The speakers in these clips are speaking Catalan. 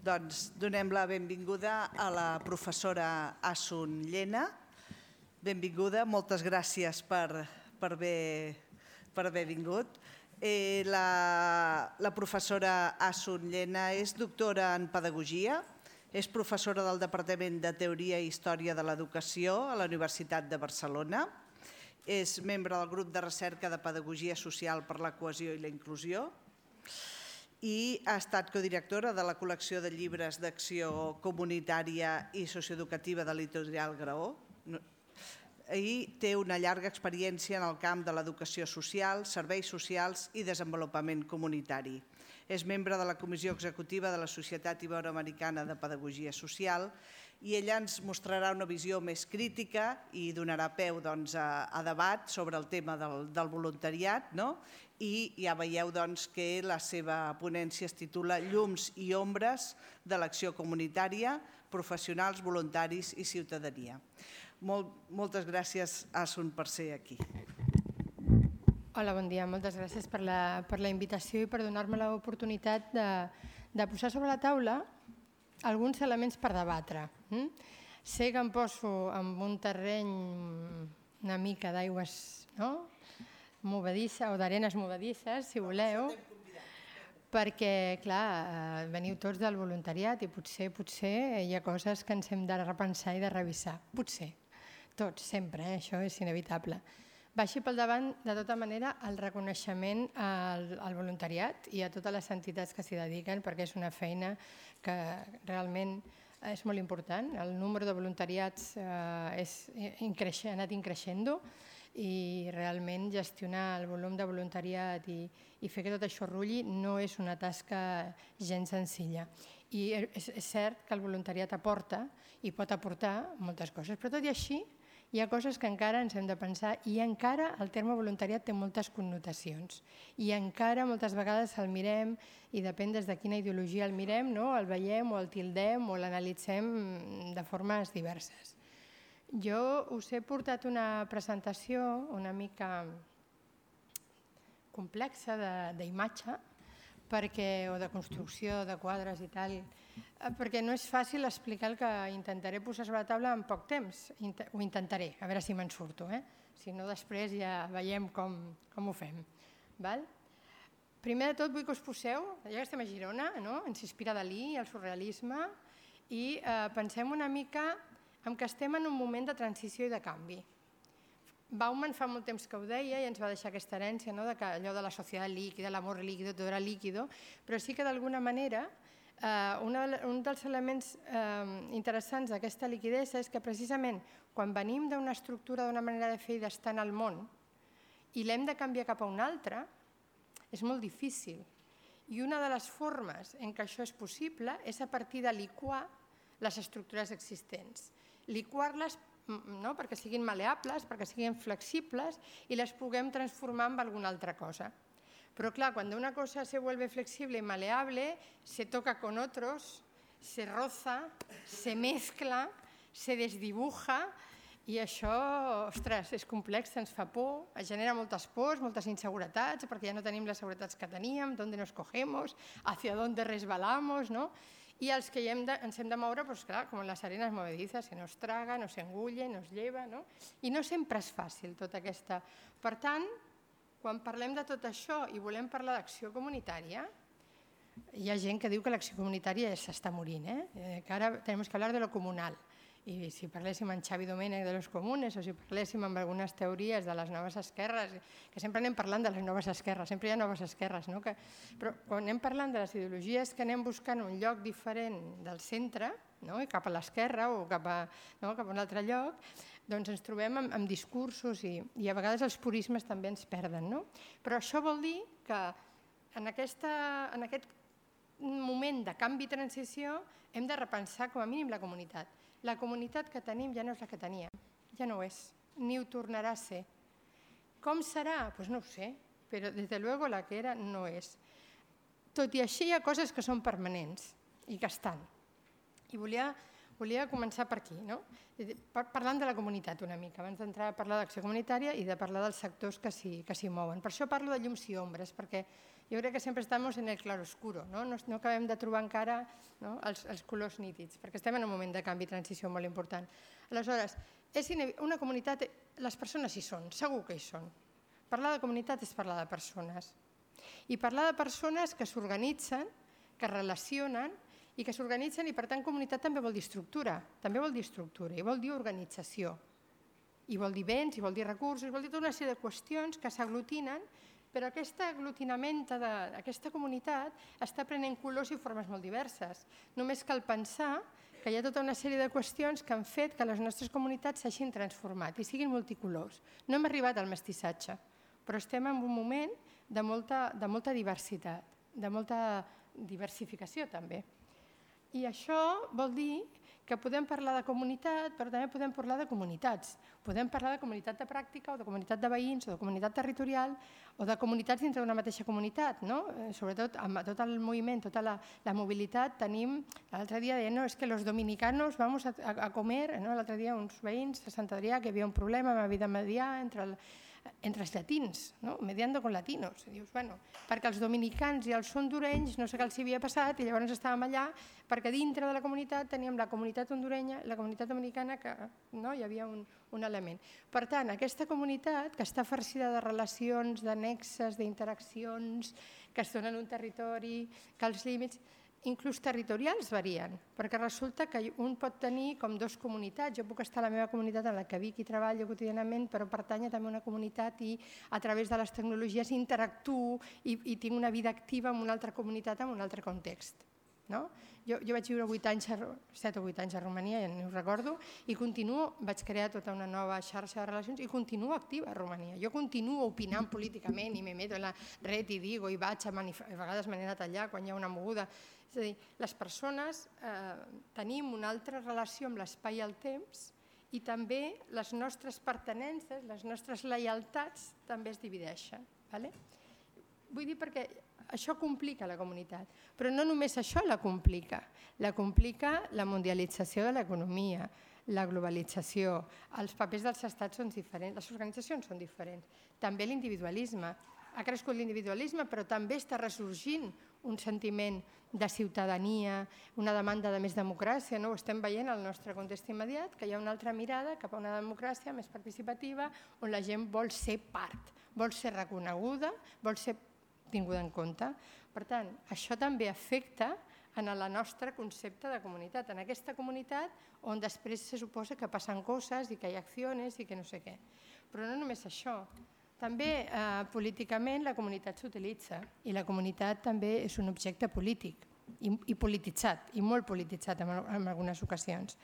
Doncs donem la benvinguda a la professora Asun Llena. Benvinguda, moltes gràcies per haver vingut. La professora Asun Llena és doctora en Pedagogia, és professora del Departament de Teoria i Història de l'Educació a la Universitat de Barcelona, és membre del grup de recerca de Pedagogia Social per la Cohesió i la Inclusió i ha estat codirectora de la col·lecció de llibres d'acció comunitària i socioeducativa de l'Editorial Graó i té una llarga experiència en el camp de l'educació social, serveis socials i desenvolupament comunitari. És membre de la Comissió Executiva de la Societat Iberoamericana de Pedagogia Social i ella ens mostrarà una visió més crítica i donarà peu a debat sobre el tema del voluntariat, i ja veieu que la seva ponència es titula Llums i ombres de l'acció comunitària, professionals, voluntaris i ciutadania. Moltes gràcies, Asun, per ser aquí. Hola, bon dia. Moltes gràcies per la invitació i per donar-me l'oportunitat de posar sobre la taula alguns elements per debatre. Sé que em poso en un terreny una mica d'aigües movedissa o d'arenes movedisses, si voleu, perquè, clar, veniu tots del voluntariat i potser hi ha coses que ens hem de repensar i de revisar. Potser. Tots, sempre, això és inevitable. Vagi pel davant, de tota manera, el reconeixement al voluntariat i a totes les entitats que s'hi dediquen, perquè és una feina que realment és molt important. El número de voluntariats ha anat increixent i realment gestionar el volum de voluntariat i fer que tot això rulli no és una tasca gens senzilla. I és cert que el voluntariat aporta i pot aportar moltes coses, però tot i així hi ha coses que encara ens hem de pensar i encara el terme voluntariat té moltes connotacions i encara moltes vegades el mirem i depèn des de quina ideologia el mirem, el veiem o el tildem o l'analitzem de formes diverses. Jo us he portat una presentació una mica complexa d'imatge o de construcció de quadres i tal, perquè no és fàcil explicar el que intentaré posar sobre la taula en poc temps. Ho intentaré, a veure si me'n surto. Si no, després ja veiem com ho fem. Primer de tot vull que us poseu, ja que estem a Girona, ens inspira Dalí, el surrealisme, i pensem una mica en que estem en un moment de transició i de canvi. Bauman fa molt temps que ho deia i ens va deixar aquesta herència, que allò de la societat líquida, l'amor líquido, tot era líquido, però sí que d'alguna manera un dels elements interessants d'aquesta liquidesa és que precisament quan venim d'una estructura, d'una manera de fer i d'estar en el món i l'hem de canviar cap a una altra, és molt difícil. I una de les formes en què això és possible és a partir de liquar les estructures existents. Liquar-les perquè siguin maleables, perquè siguin flexibles i les puguem transformar en alguna altra cosa. Pero claro, cuando una cosa se vuelve flexible y maleable, se toca con otros, se roza, se mezcla, se desdibuja i això, ostres, és complex, ens fa por, genera moltes pors, moltes inseguretats, perquè ja no tenim les seguretats que teníem, d'on nos cogemos, hacia dónde resbalamos, i els que ens hem de moure, com les arenes movedizes, que nos traga, nos engulle, nos lleva, i no sempre és fàcil tota aquesta. Per tant, quan parlem de tot això i volem parlar d'acció comunitària, hi ha gent que diu que l'acció comunitària s'està morint, que ara tenim que parlar de lo comunal. I si parléssim amb Xavi Domènech de los comunes o si parléssim amb algunes teories de les noves esquerres, que sempre anem parlant de les noves esquerres, sempre hi ha noves esquerres, però quan anem parlant de les ideologies que anem buscant un lloc diferent del centre, cap a l'esquerra o cap a un altre lloc, doncs ens trobem amb discursos i a vegades els purismes també ens perden. Però això vol dir que en aquest moment de canvi i transició hem de repensar com a mínim la comunitat. La comunitat que tenim ja no és la que teníem, ja no ho és, ni ho tornarà a ser. Com serà? Doncs no ho sé, però des de luego la que era no és. Tot i així hi ha coses que són permanents i que estan. I volia començar per aquí, parlant de la comunitat una mica, abans d'entrar a parlar d'acció comunitària i de parlar dels sectors que s'hi mouen. Per això parlo de llums i ombres, perquè Jo crec que sempre estem en el claroscuro, no acabem de trobar encara els colors nítids, perquè estem en un moment de canvi i transició molt important. Aleshores, una comunitat, les persones hi són, segur que hi són. Parlar de comunitat és parlar de persones. I parlar de persones que s'organitzen, que es relacionen i que s'organitzen, i per tant comunitat també vol dir estructura, i vol dir organització, i vol dir béns, i vol dir recursos, i vol dir tota una sèrie de qüestions que s'aglutinen, però aquest aglutinament d'aquesta comunitat està prenent colors i formes molt diverses. Només cal pensar que hi ha tota una sèrie de qüestions que han fet que les nostres comunitats s'hagin transformat i siguin multicolors. No hem arribat al mestissatge, però estem en un moment de molta diversitat, de molta diversificació també. I això vol dir que podem parlar de comunitat, però també podem parlar de comunitats. Podem parlar de comunitat de pràctica, o de comunitat de veïns, o de comunitat territorial, o de comunitats dintre d'una mateixa comunitat. Sobretot amb tot el moviment, tota la mobilitat, tenim... L'altre dia deien, és que los dominicanos vamos a comer... L'altre dia uns veïns a Sant Adrià que hi havia un problema amb la vida medià entre els llatins, mediando con latinos. Dius, bueno, perquè els dominicans i els hondurenys no sé què els havia passat i llavors estàvem allà perquè dintre de la comunitat teníem la comunitat hondurenya i la comunitat dominicana que hi havia un element. Per tant, aquesta comunitat que està farcida de relacions, de nexes, d'interaccions, que es donen un territori, que els límits... Inclús territorials varien, perquè resulta que un pot tenir com dues comunitats. Jo puc estar a la meva comunitat en la que vic i treballo quotidianament, però pertany també a una comunitat i a través de les tecnologies interactuo i tinc una vida activa en una altra comunitat, en un altre context. Jo vaig viure 7 o 8 anys a Romania, ja no ho recordo, i vaig crear tota una nova xarxa de relacions i continuo activa a Romania. Jo continuo opinant políticament i me meto en la red i digo i vaig a vegades me n'he anat allà quan hi ha una moguda. És a dir, les persones tenim una altra relació amb l'espai i el temps i també les nostres pertinences, les nostres lleialtats també es divideixen. Vull dir perquè això complica la comunitat, però no només això la complica la mundialització de l'economia, la globalització, els papers dels estats són diferents, les organitzacions són diferents, també l'individualisme. Ha crescut l'individualisme, però també està ressorgint un sentiment de ciutadania, una demanda de més democràcia. Ho estem veient al nostre context immediat, que hi ha una altra mirada cap a una democràcia més participativa, on la gent vol ser part, vol ser reconeguda, vol ser tinguda en compte. Per tant, això també afecta en el nostre concepte de comunitat, en aquesta comunitat on després se suposa que passen coses i que hi ha accions i que no sé què. Però no només això. També políticament la comunitat s'utilitza i la comunitat també és un objecte polític i polititzat, i molt polititzat en algunes ocasions.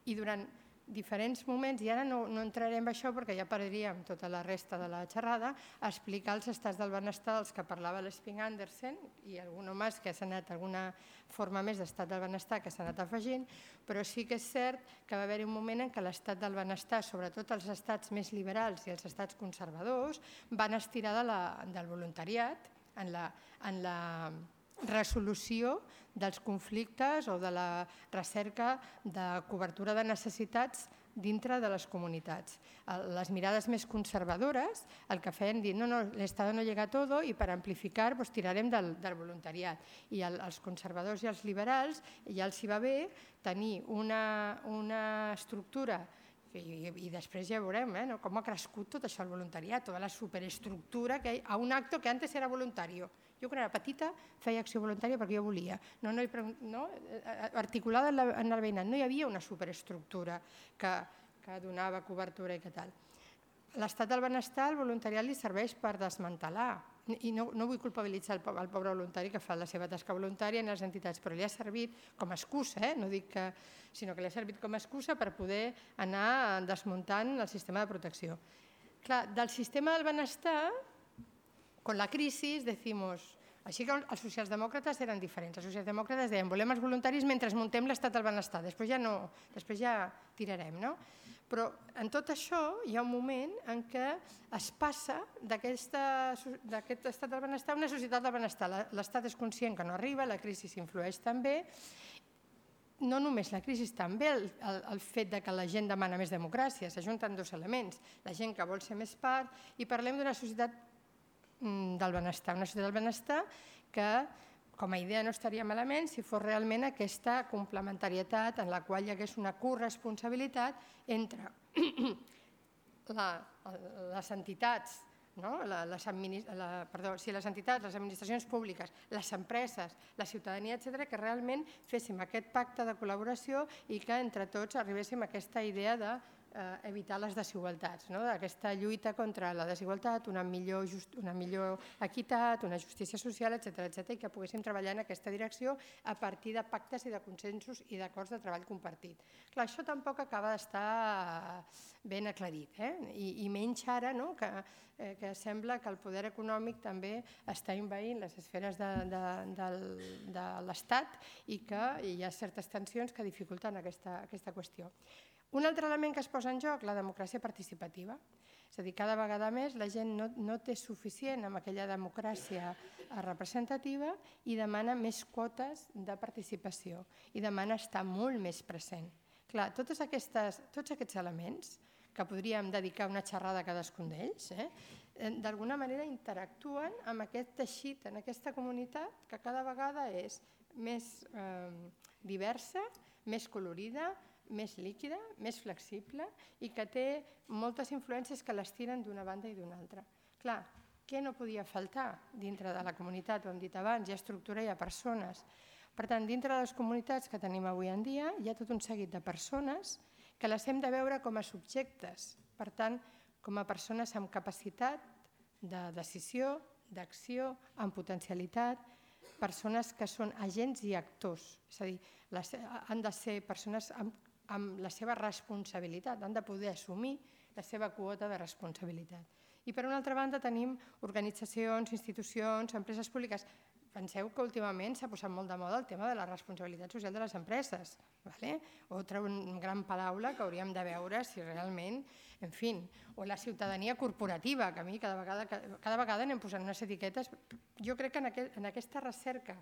I durant diferents moments, i ara no entrarem en això perquè ja perdríem tota la resta de la xerrada, a explicar els estats del benestar dels que parlava l'Sping Andersen i algun més que s'ha anat, alguna forma més d'estat del benestar que s'ha anat afegint, però sí que és cert que va haver-hi un moment en què l'estat del benestar, sobretot els estats més liberals i els estats conservadors, van estirar del voluntariat en la resolució dels conflictes o de la recerca de cobertura de necessitats dintre de les comunitats. Les mirades més conservadores el que feien dir, no, l'Estado no llega a todo i per amplificar tirarem del voluntariat. I als conservadors i als liberals ja els hi va bé tenir una estructura i després ja veurem com ha crescut tot això, el voluntariat, tota la superestructura a un acte que antes era voluntari. Jo quan era petita feia acció voluntària perquè jo volia, articulada en el veïnat. No hi havia una superestructura que donava cobertura i que tal. L'estat del benestar, el voluntariat li serveix per desmantelar, i no vull culpabilitzar el pobre voluntari que fa la seva tasca voluntària en les entitats, però li ha servit com a excusa, no dic que, sinó que li ha servit com a excusa per poder anar desmuntant el sistema de protecció. Clar, del sistema del benestar, con la crisi, decimos... Així que els socialdemòcrates eren diferents. Els socialdemòcrates deien volem els voluntaris mentre muntem l'estat del benestar, després ja tirarem, no? Però en tot això hi ha un moment en què es passa d'aquest estat del benestar a una societat del benestar. L'estat és conscient que no arriba, la crisi s'influeix també, no només la crisi, també el fet que la gent demana més democràcia, s'ajunten dos elements, la gent que vol ser més part, i parlem d'una societat del benestar. Una societat del benestar que, com a idea, no estaria malament si fos realment aquesta complementarietat en la qual hi hagués una corresponsabilitat entre les entitats, les entitats, les administracions públiques, les empreses, la ciutadania, etc., que realment féssim aquest pacte de col·laboració i que entre tots arribéssim a aquesta idea d'evitar les desigualtats, aquesta lluita contra la desigualtat, una millor equitat, una justícia social, etc., i que poguéssim treballar en aquesta direcció a partir de pactes i de consensos i d'acords de treball compartit. Clar, això tampoc acaba d'estar ben aclarit, i menys ara que sembla que el poder econòmic també està envaint les esferes de l'Estat i que hi ha certes tensions que dificulten aquesta qüestió. Un altre element que es posa en joc, la democràcia participativa. És a dir, cada vegada més la gent no té suficient amb aquella democràcia representativa i demana més quotes de participació i demana estar molt més present. Clar, tots aquests elements, que podríem dedicar una xerrada a cadascun d'ells, d'alguna manera interactuen amb aquest teixit, en aquesta comunitat que cada vegada és més diversa, més colorida, més líquida, més flexible i que té moltes influències que les tiren d'una banda i d'una altra. Clar, què no podia faltar dintre de la comunitat? Ho hem dit abans, hi ha estructura, hi ha persones. Per tant, dintre de les comunitats que tenim avui en dia hi ha tot un seguit de persones que les hem de veure com a subjectes, per tant, com a persones amb capacitat de decisió, d'acció, amb potencialitat, persones que són agents i actors, és a dir, han de ser persones amb la seva responsabilitat, han de poder assumir la seva quota de responsabilitat. I per una altra banda tenim organitzacions, institucions, empreses públiques. Penseu que últimament s'ha posat molt de moda el tema de la responsabilitat social de les empreses. Altra gran paraula que hauríem de veure si realment, en fi, o la ciutadania corporativa, que a mi cada vegada anem posant unes etiquetes. Jo crec que en aquesta recerca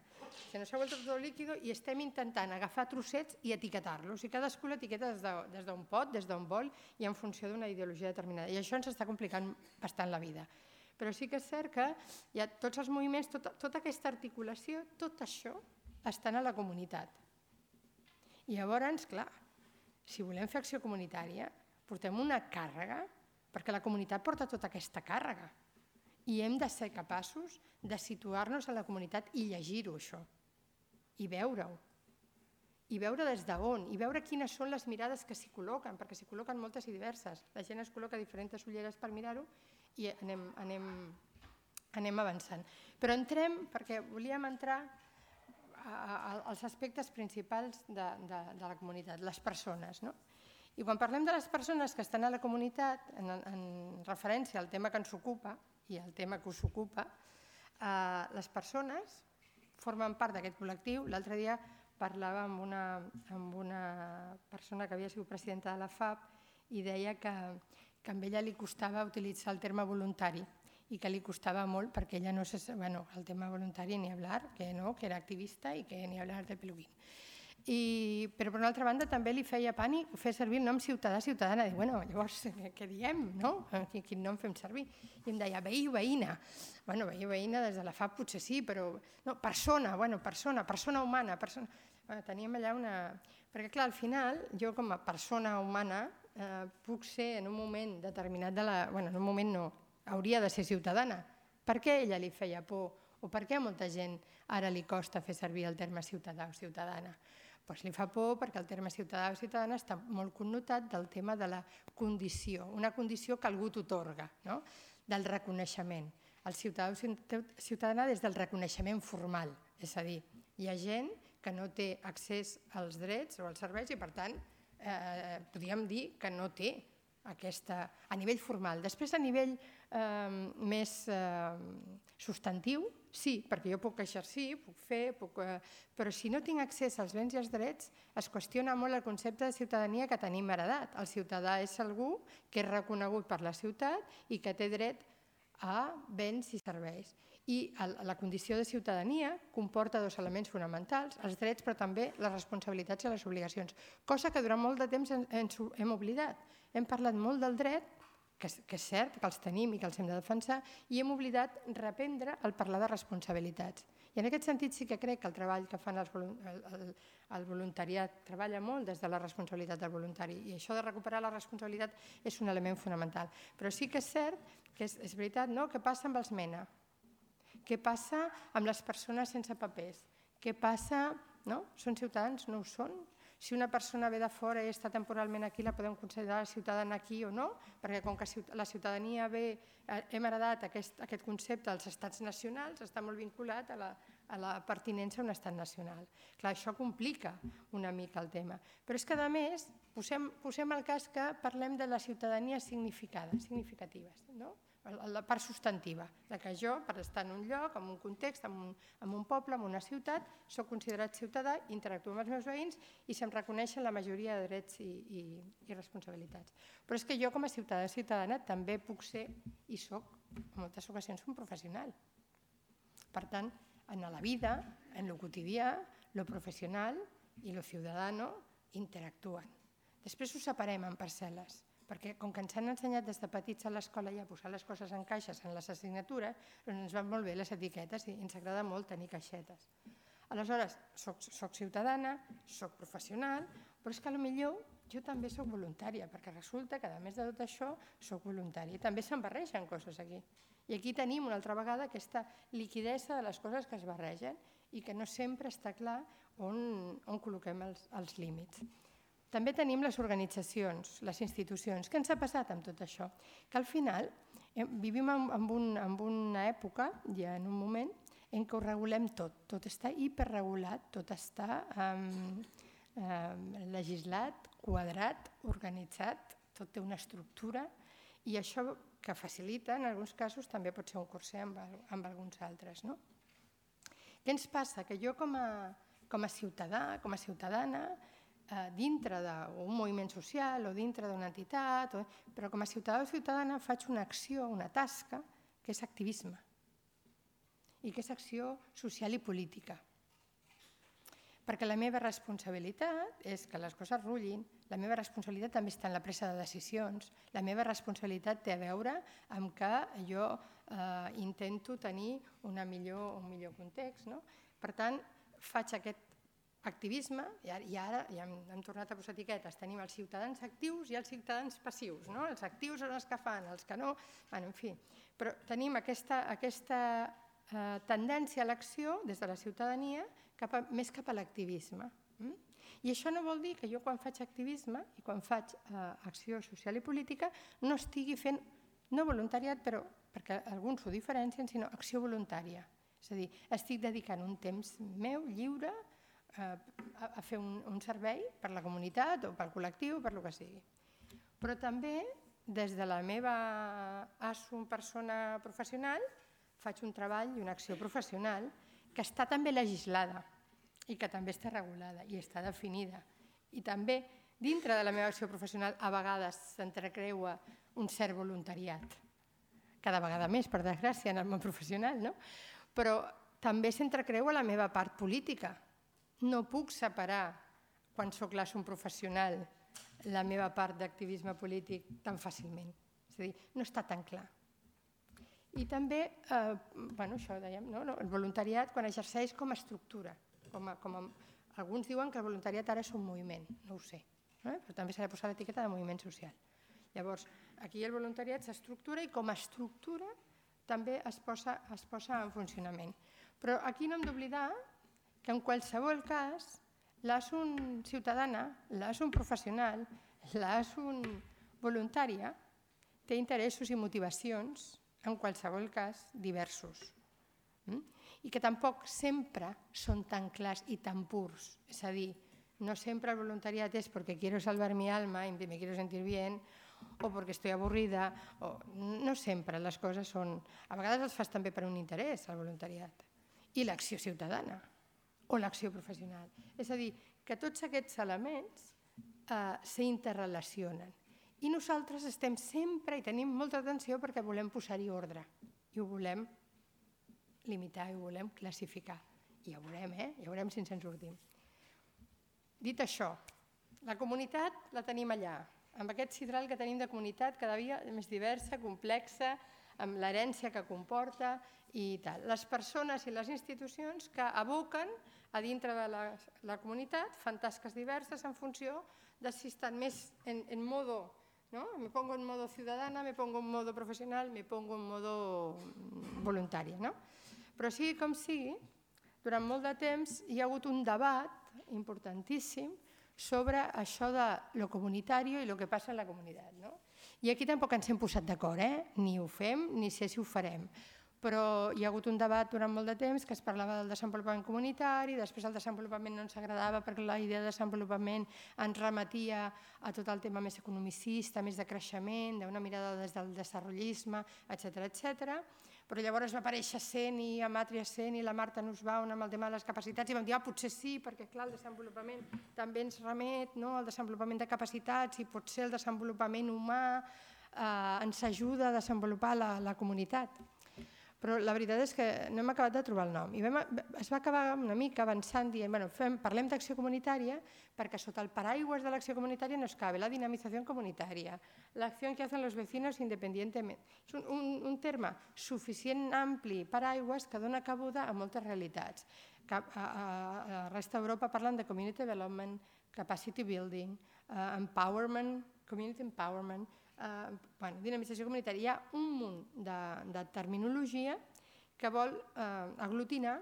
se nos ha vuelto todo líquido i estem intentant agafar trossets i etiquetar-los. I cadascú l'etiqueta des d'on pot, des d'on vol i en funció d'una ideologia determinada. I això ens està complicant bastant la vida. Però sí que és cert que hi ha tots els moviments, tota aquesta articulació, tot això està a la comunitat. I llavors, clar, si volem fer acció comunitària, portem una càrrega, perquè la comunitat porta tota aquesta càrrega. I hem de ser capaços de situar-nos a la comunitat i llegir-ho, això, i veure-ho. I veure des d'on, i veure quines són les mirades que s'hi col·loquen, perquè s'hi col·loquen moltes i diverses. La gent es col·loca diferents ulleres per mirar-ho i anem avançant. Però entrem, perquè volíem entrar als aspectes principals de la comunitat, les persones. I quan parlem de les persones que estan a la comunitat, en referència al tema que ens ocupa i al tema que us ocupa, les persones formen part d'aquest col·lectiu. L'altre dia parlava amb una persona que havia sigut presidenta de la FAP i deia que a ella li costava utilitzar el terme voluntari i que li costava molt perquè ella no el tema voluntari ni hablar, que era activista i que ni hablar del peluquín. Però per una altra banda també li feia pànic fer servir el nom ciutadà, ciutadana. Dic, llavors què diem, no? Quin nom fem servir? I em deia veí o veïna. Veí o veïna des de la FAP potser sí, però persona humana. Teníem allà una... Perquè clar, al final, jo com a persona humana puc ser en un moment determinat en un moment no, hauria de ser ciutadana. Per què a ella li feia por? O per què a molta gent ara li costa fer servir el terme ciutadà o ciutadana? Doncs li fa por perquè el terme ciutadà o ciutadana està molt connotat del tema de la condició, una condició que algú t'atorga, del reconeixement. El ciutadà o ciutadana des del reconeixement formal, és a dir, hi ha gent que no té accés als drets o als serveis i per tant podríem dir que no té aquesta, a nivell formal. Després, a nivell més substantiu, sí, perquè jo puc exercir, puc fer, però si no tinc accés als béns i als drets, es qüestiona molt el concepte de ciutadania que tenim heredat. El ciutadà és algú que és reconegut per la ciutat i que té dret a béns i serveis. I la condició de ciutadania comporta dos elements fonamentals, els drets però també les responsabilitats i les obligacions, cosa que durant molt de temps ens hem oblidat. Hem parlat molt del dret, que és cert que els tenim i que els hem de defensar, i hem oblidat reprendre el parlar de responsabilitats. I en aquest sentit sí que crec que el treball que fan el voluntariat treballa molt des de la responsabilitat del voluntari, i això de recuperar la responsabilitat és un element fonamental. Però sí que és cert que és veritat, no? Què passa amb els MENA? Què passa amb les persones sense papers? Què passa? No? Són ciutadans? No ho són? Si una persona ve de fora i està temporalment aquí, la podem considerar ciutadana aquí o no? Perquè com que la ciutadania hem heredat aquest concepte dels estats nacionals, està molt vinculat a la pertinença a un estat nacional. Clar, això complica una mica el tema. Però és que, a més, posem el cas que parlem de la ciutadania significativa, no? La part substantiva, que jo, per estar en un lloc, en un context, en un poble, en una ciutat, soc considerat ciutadà, interactuo amb els meus veïns i se'm reconeixen la majoria de drets i responsabilitats. Però és que jo, com a ciutadana, també puc ser, i soc, en moltes ocasions, un professional. Per tant, en la vida, en lo quotidià, lo professional i lo ciudadano interactuen. Després ho separem en parcel·les, perquè com que ens han ensenyat des de petits a l'escola ja a posar les coses en caixes en les assignatures, doncs ens van molt bé les etiquetes i ens agrada molt tenir caixetes. Aleshores, soc ciutadana, soc professional, però és que potser jo també soc voluntària, perquè resulta que a més de tot això soc voluntària. I també se'n barregen coses aquí. I aquí tenim una altra vegada aquesta liquidesa de les coses que es barregen i que no sempre està clar on col·loquem els límits. També tenim les organitzacions, les institucions. Què ens ha passat amb tot això? Que al final vivim en una època, ja en un moment, en què ho regulem tot. Tot està hiperregulat, tot està legislat, quadrat, organitzat, tot té una estructura i això que facilita, en alguns casos, també pot ser un curser amb alguns altres. Què ens passa? Que jo com a ciutadà, com a ciutadana, dintre d'un moviment social o dintre d'una entitat, però com a ciutadà o ciutadana faig una acció, una tasca, que és activisme i que és acció social i política. Perquè la meva responsabilitat és que les coses rullin, la meva responsabilitat també està en la presa de decisions, la meva responsabilitat té a veure amb que jo intento tenir un millor context. Per tant, faig aquest activisme, i ara ja hem tornat a posar etiquetes, tenim els ciutadans actius i els ciutadans passius. Els actius són els que fan, els que no, en fi. Però tenim aquesta tendència a l'acció des de la ciutadania més cap a l'activisme. I això no vol dir que jo quan faig activisme i quan faig acció social i política no estigui fent, no voluntariat, però perquè alguns ho diferencien, sinó acció voluntària. És a dir, estic dedicant un temps meu, lliure, a fer un servei per la comunitat o pel col·lectiu o per el que sigui. Però també, des de la meva persona professional, faig un treball i una acció professional que està també legislada i que també està regulada i està definida. I també, dintre de la meva acció professional, a vegades s'entrecreua un cert voluntariat. Cada vegada més, per desgràcia, en el món professional, no? Però també s'entrecreua la meva part política. No puc separar, quan soc un professional, la meva part d'activisme polític tan fàcilment. És a dir, no està tan clar. I també, això dèiem, el voluntariat quan exerceix com a estructura. Alguns diuen que el voluntariat ara és un moviment, no ho sé, però també s'ha de posar l'etiqueta de moviment social. Llavors, aquí el voluntariat s'estructura i com a estructura també es posa en funcionament. Però aquí no hem d'oblidar que en qualsevol cas l'ASUN ciutadana, l'ASUN professional, l'ASUN voluntària té interessos i motivacions, en qualsevol cas, diversos. I que tampoc sempre són tan clars i tan purs. És a dir, no sempre el voluntariat és perquè quiero salvar mi alma y me quiero sentir bien o perquè estoy avorrida. No sempre les coses són... A vegades els fas també per un interès, el voluntariat. I l'acció ciutadana o l'acció professional. És a dir, que tots aquests elements s'interrelacionen. I nosaltres estem sempre i tenim molta atenció perquè volem posar-hi ordre i ho volem limitar i ho volem classificar. I ja veurem, ja veurem si ens en sortim. Dit això, la comunitat la tenim allà, amb aquest sidral que tenim de comunitat cada dia més diversa, complexa, amb l'herència que comporta i tal. Les persones i les institucions que aboquen a dintre de la comunitat fan tasques diverses en funció de si estan més en modo, ¿no? Me pongo en modo ciudadana, me pongo en modo professional, me pongo en modo voluntària, no? Però sigui com sigui, durant molt de temps hi ha hagut un debat importantíssim sobre això de lo comunitari i el que passa en la comunitat, no? I aquí tampoc ens hem posat d'acord, ni ho fem ni sé si ho farem, però hi ha hagut un debat durant molt de temps que es parlava del desenvolupament comunitari, després el desenvolupament no ens agradava perquè la idea de desenvolupament ens remetia a tot el tema més economicista, més de creixement, d'una mirada des del desenvolupisme, etc. Però llavors va aparèixer Sen i Amatria Sen i la Marta Nussbaum amb el tema de les capacitats i vam dir, potser sí, perquè clar, el desenvolupament també ens remet al desenvolupament de capacitats i potser el desenvolupament humà ens ajuda a desenvolupar la comunitat. Però la veritat és que no hem acabat de trobar el nom. I es va acabar una mica avançant dient, parlem d'acció comunitària perquè sota el paraigües de l'acció comunitària nos cabe la dinamització comunitària, l'acció que hacen los vecinos independientemente. És un terme suficient ampli, paraigües, que dona cabuda a moltes realitats. A la resta d'Europa parlen de community development, capacity building, empowerment, community empowerment, dinamització comunitària. Hi ha un munt de terminologia que vol aglutinar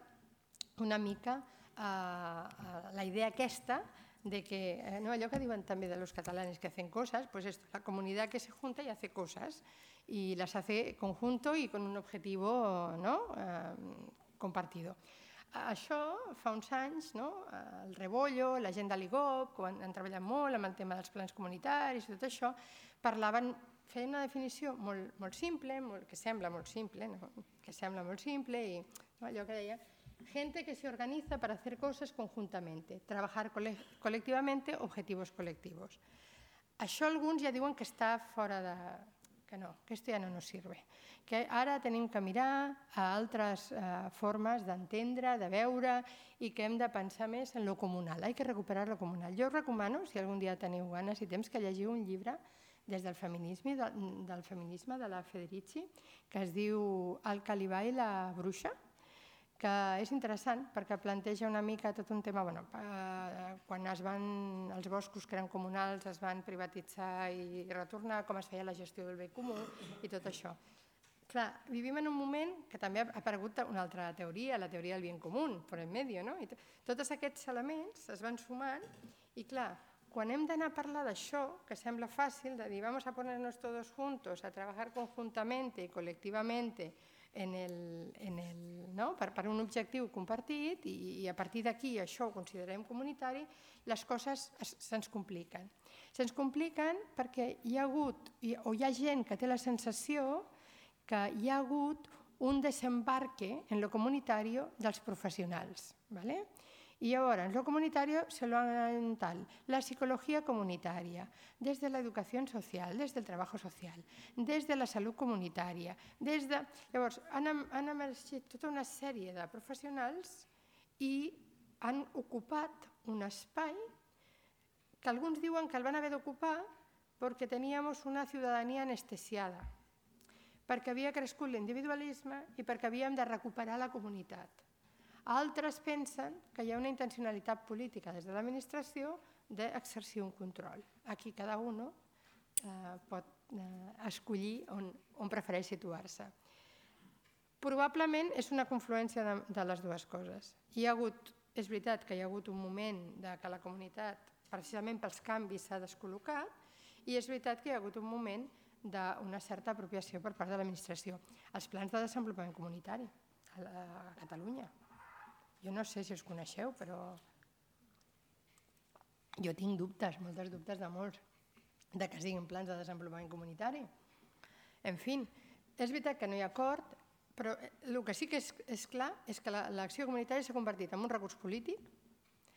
una mica la idea aquesta de que, allò que diuen també de los catalanes que hacen cosas, pues es la comunidad que se junta y hace cosas y las hace conjunto y con un objetivo compartido. Això fa uns anys, el Rebollo, la gent de l'IGOP, quan han treballat molt amb el tema dels plans comunitaris i tot això, feien una definició molt simple, que sembla molt simple, i allò que deia, gente que se organiza para hacer cosas conjuntamente, trabajar colectivamente, objetivos colectivos. Això alguns ja diuen que està fora de... que no, que esto ja no nos sirve, que ara tenim que mirar a altres formes d'entendre, de veure i que hem de pensar més en lo comunal, hay que recuperar lo comunal. Jo us recomano, si algun dia teniu ganes i temps, que llegiu un llibre des del feminisme de la Federici, que es diu El Calibà i la bruixa, que és interessant perquè planteja una mica tot un tema, quan els boscos que eren comunals es van privatitzar i retornar, com es feia la gestió del bé comú i tot això. Clar, vivim en un moment que també ha aparegut una altra teoria, la teoria del bien común, por en medio, no? I tots aquests elements es van sumant i clar, quan hem d'anar a parlar d'això, que sembla fàcil, de dir vamos a ponernos todos juntos a trabajar conjuntamente y colectivamente per un objectiu compartit i a partir d'aquí això ho considerem comunitari, les coses se'ns compliquen. Se'ns compliquen perquè hi ha hagut o hi ha gent que té la sensació que hi ha hagut un desembarque en lo comunitario dels professionals. Y ahora, en lo comunitario se lo han tal, la psicología comunitaria, desde la educación social, desde el trabajo social, desde la salut comunitària, Llavors, han emergit tota una sèrie de professionals i han ocupat un espai que alguns diuen que el van haver d'ocupar perquè teníem una ciutadania anestesiada, perquè havia crescut l'individualisme i perquè havíem de recuperar la comunitat. Altres pensen que hi ha una intencionalitat política des de l'administració d'exercir un control. Aquí cada un pot escollir on prefereix situar-se. Probablement és una confluència de les dues coses. És veritat que hi ha hagut un moment que la comunitat, precisament pels canvis, s'ha descol·locat i és veritat que hi ha hagut un moment d'una certa apropiació per part de l'administració. Els plans de desenvolupament comunitari a Catalunya. Jo no sé si els coneixeu, però jo tinc dubtes, molts dubtes de molts, que siguin plans de desenvolupament comunitari. En fi, és veritat que no hi ha acord, però el que sí que és clar és que l'acció comunitària s'ha convertit en un recurs polític,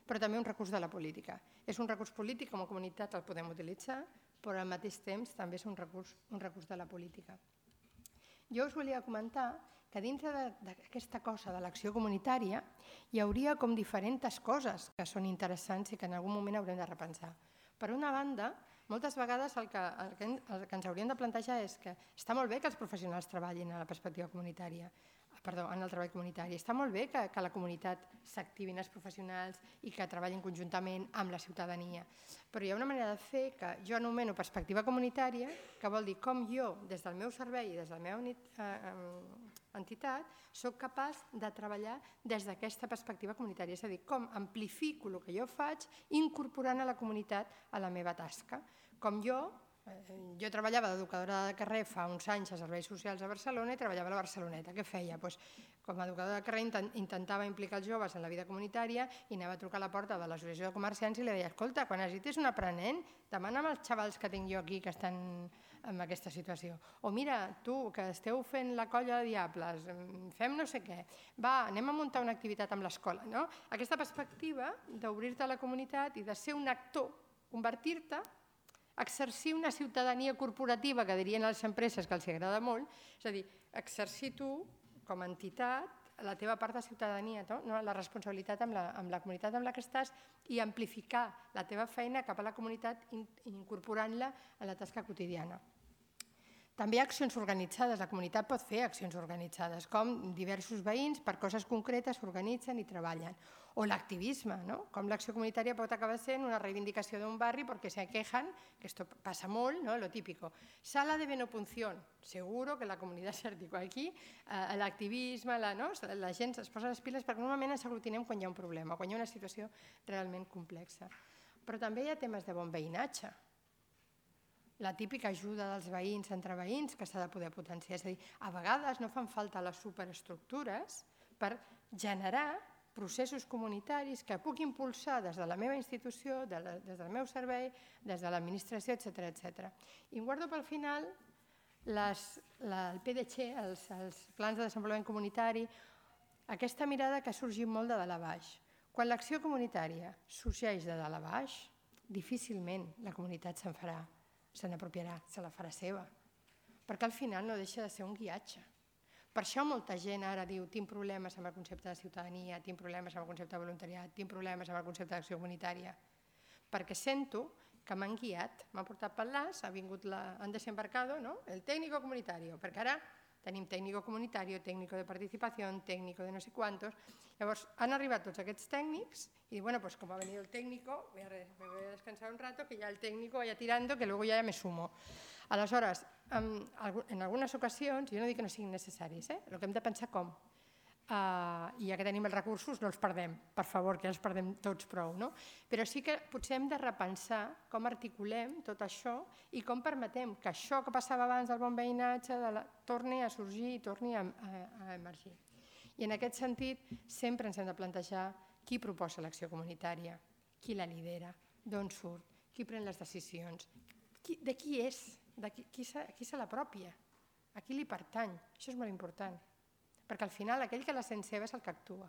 però també un recurs de la política. És un recurs polític, com a comunitat el podem utilitzar, però al mateix temps també és un recurs de la política. Jo us volia comentar que dintre d'aquesta cosa de l'acció comunitària hi hauria com diferents coses que són interessants i que en algun moment haurem de repensar. Per una banda, moltes vegades el que ens hauríem de plantejar és que està molt bé que els professionals treballin a la perspectiva comunitària, en el treball comunitari. Està molt bé que la comunitat s'activin els professionals i que treballin conjuntament amb la ciutadania. Però hi ha una manera de fer que jo anomeno perspectiva comunitària, que vol dir com jo, des del meu servei i des de la meva entitat, soc capaç de treballar des d'aquesta perspectiva comunitària. És a dir, com amplifico el que jo faig incorporant a la comunitat a la meva tasca. Com jo treballava d'educadora de carrer fa uns anys a serveis socials a Barcelona i treballava a la Barceloneta. Què feia? Com a educadora de carrer intentava implicar els joves en la vida comunitària i anava a trucar a la porta de l'associació de comerciants i li deia: escolta, quan necessitis un aprenent, demana'm als xavals que tinc jo aquí que estan en aquesta situació. O mira, tu, que esteu fent la colla de diables, fem no sé què, va, anem a muntar una activitat amb l'escola. Aquesta perspectiva d'obrir-te a la comunitat i de ser un actor, convertir-te, exercir una ciutadania corporativa, que dirien a les empreses que els agrada molt, és a dir, exercir tu, com a entitat, la teva part de ciutadania, la responsabilitat amb la comunitat amb la que estàs i amplificar la teva feina cap a la comunitat incorporant-la a la tasca quotidiana. També hi ha accions organitzades, la comunitat pot fer accions organitzades, com diversos veïns per coses concretes s'organitzen i treballen. O l'activisme, com l'acció comunitària pot acabar sent una reivindicació d'un barri perquè se quejan, que esto pasa molt, lo típico. Sala de venopunción, seguro que la comunitat s'articula aquí, l'activisme, la gent es posa les piles perquè normalment ens aglutinem quan hi ha un problema, quan hi ha una situació realment complexa. Però també hi ha temes de bon veïnatge. La típica ajuda dels veïns entre veïns que s'ha de poder potenciar. És a dir, a vegades no fan falta les superestructures per generar processos comunitaris que puc impulsar des de la meva institució, des del meu servei, des de l'administració, etc. I em guardo pel final el PDC, els plans de desenvolupament comunitari, aquesta mirada que ha sorgit molt de dalt a baix. Quan l'acció comunitària sorgeix de dalt a baix, difícilment la comunitat se'n farà. Se n'apropiarà, se la farà seva, perquè al final no deixa de ser un guiatge. Per això molta gent ara diu: tinc problemes amb el concepte de ciutadania, tinc problemes amb el concepte de voluntariat, tinc problemes amb el concepte d'acció comunitària, perquè sento que m'han guiat, m'han portat pel nas, han desembarcado el técnico comunitario, perquè ara tenim técnico comunitario, técnico de participació, técnico de no sé quantos. Llavors han arribat tots aquests tècnics y bueno, pues como ha venido el técnico, me voy a descansar un rato, que ya el técnico vaya tirando, que luego ya me sumo. Aleshores, en algunes ocasions, jo no dic que no siguin necessaris, el que hem de pensar com. I ja que tenim els recursos, no els perdem, per favor, que ja els perdem tots prou. Però sí que potser hem de repensar com articulem tot això i com permetem que això que passava abans del bon veïnatge torni a sorgir i torni a emergir. I en aquest sentit sempre ens hem de plantejar qui proposa l'acció comunitària, qui la lidera, d'on surt, qui pren les decisions, de qui és, qui se l'apropia, a qui li pertany. Això és molt important, perquè al final aquell que la sent seva és el que actua.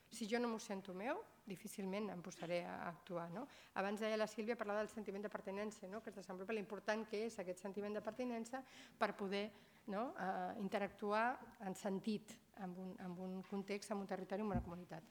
Si jo no m'ho sento meu, difícilment em posaré a actuar. Abans deia la Sílvia, parlava del sentiment de pertinença, que es desenvolupa l'important que és aquest sentiment de pertinença per poder interactuar en sentit, en un context, en un territori, en una comunitat.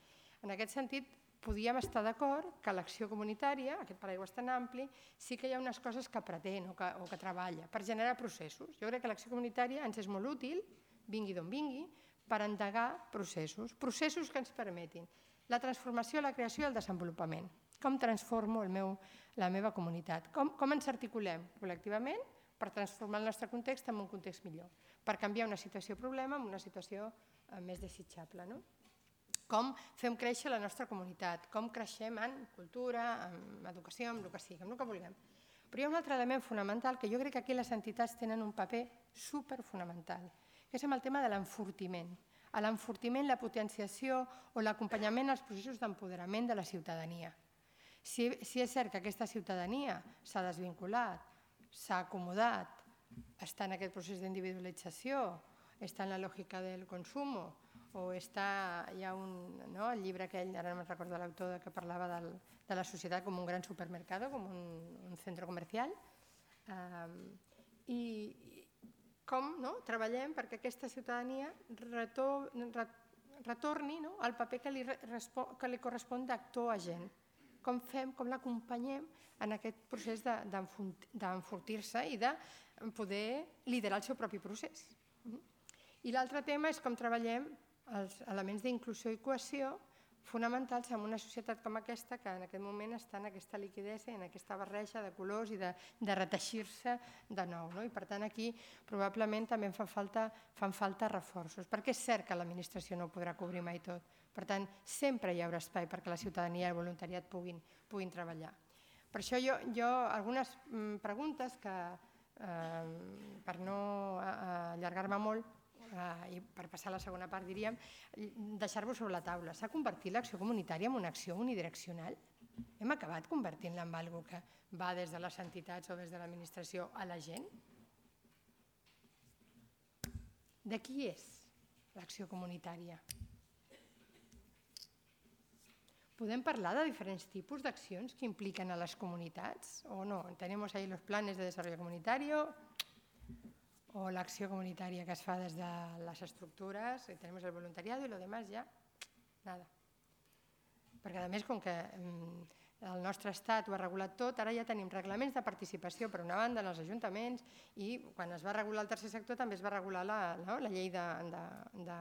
En aquest sentit, podíem estar d'acord que l'acció comunitària, aquest paraigua tan ampli, sí que hi ha unes coses que pretén o que treballa per generar processos. Jo crec que l'acció comunitària ens és molt útil, vingui d'on vingui, per endegar processos que ens permetin la transformació, la creació i el desenvolupament. Com transformo la meva comunitat? Com ens articulem col·lectivament per transformar el nostre context en un context millor, per canviar una situació-problema en una situació més desitjable. Com fem créixer la nostra comunitat, com creixem en cultura, en educació, en el que sigui, en el que vulguem. Però hi ha un altre element fonamental que jo crec que aquí les entitats tenen un paper superfonamental, que és el tema de l'enfortiment. L'enfortiment, la potenciació o l'acompanyament als processos d'empoderament de la ciutadania. Si és cert que aquesta ciutadania s'ha desvinculat, s'ha acomodat, està en aquest procés d'individualització, està en la lògica del consum, o està, hi ha el llibre aquell, ara no me'n recordo l'autor, que parlava de la societat com un gran supermercado, com un centre comercial, i com treballem perquè aquesta ciutadania retorni al paper que li correspon d'actor agent, com fem, com l'acompanyem en aquest procés d'enfortir-se i de poder liderar el seu propi procés. I l'altre tema és com treballem els elements d'inclusió i cohesió fonamentals en una societat com aquesta que en aquest moment està en aquesta liquidesa i en aquesta barreja de colors i de reteixir-se de nou. I per tant aquí probablement també fan falta reforços, perquè és cert que l'administració no ho podrà cobrir mai tot. Per tant, sempre hi haurà espai perquè la ciutadania i el voluntariat puguin treballar. Per això jo algunes preguntes que, per no allargar-me molt, i per passar a la segona part diríem, deixar-vos sobre la taula. S'ha convertit l'acció comunitària en una acció unidireccional? Hem acabat convertint-la en alguna cosa que va des de les entitats o des de l'administració a la gent? De qui és l'acció comunitària? ¿Podem parlar de diferents tipus d'accions que impliquen a les comunitats? O no? Tenemos ahí los planes de desarrollo comunitario o l'acció comunitària que es fa des de les estructures, i tenim el voluntariat i lo demás ja, nada. Perquè a més, com que el nostre estat ho ha regulat tot, ara ja tenim reglaments de participació per una banda en els ajuntaments i quan es va regular el tercer sector també es va regular la llei de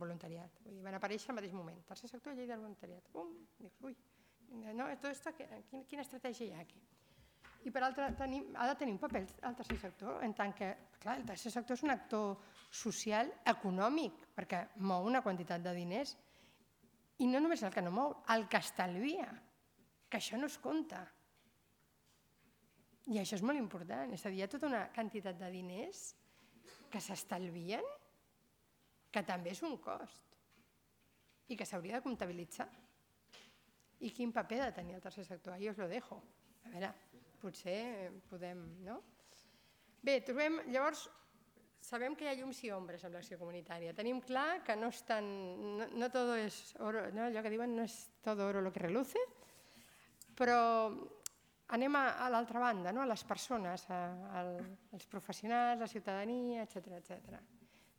voluntariat. Vull dir, van aparèixer al mateix moment. Tercer sector i llei de voluntariat. Dius, ui, tot esto, quina estratègia hi ha aquí? I per altra, ha de tenir un paper el tercer sector, en tant que, clar, el tercer sector és un actor social, econòmic, perquè mou una quantitat de diners, i no només el que no mou, el que estalvia, que això no es compta. I això és molt important, és a dir, hi ha tota una quantitat de diners que s'estalvien, que també és un cost, i que s'hauria de comptabilitzar. I quin paper ha de tenir el tercer sector? Ahí os lo dejo. A veure, potser podem, no? Bé, trobem, llavors, sabem que hi ha llums i ombres amb l'acció comunitària. Tenim clar que no és tan, no todo és oro, allò que diuen no és todo oro lo que reluce, però anem a l'altra banda, a les persones, als professionals, la ciutadania, etcètera.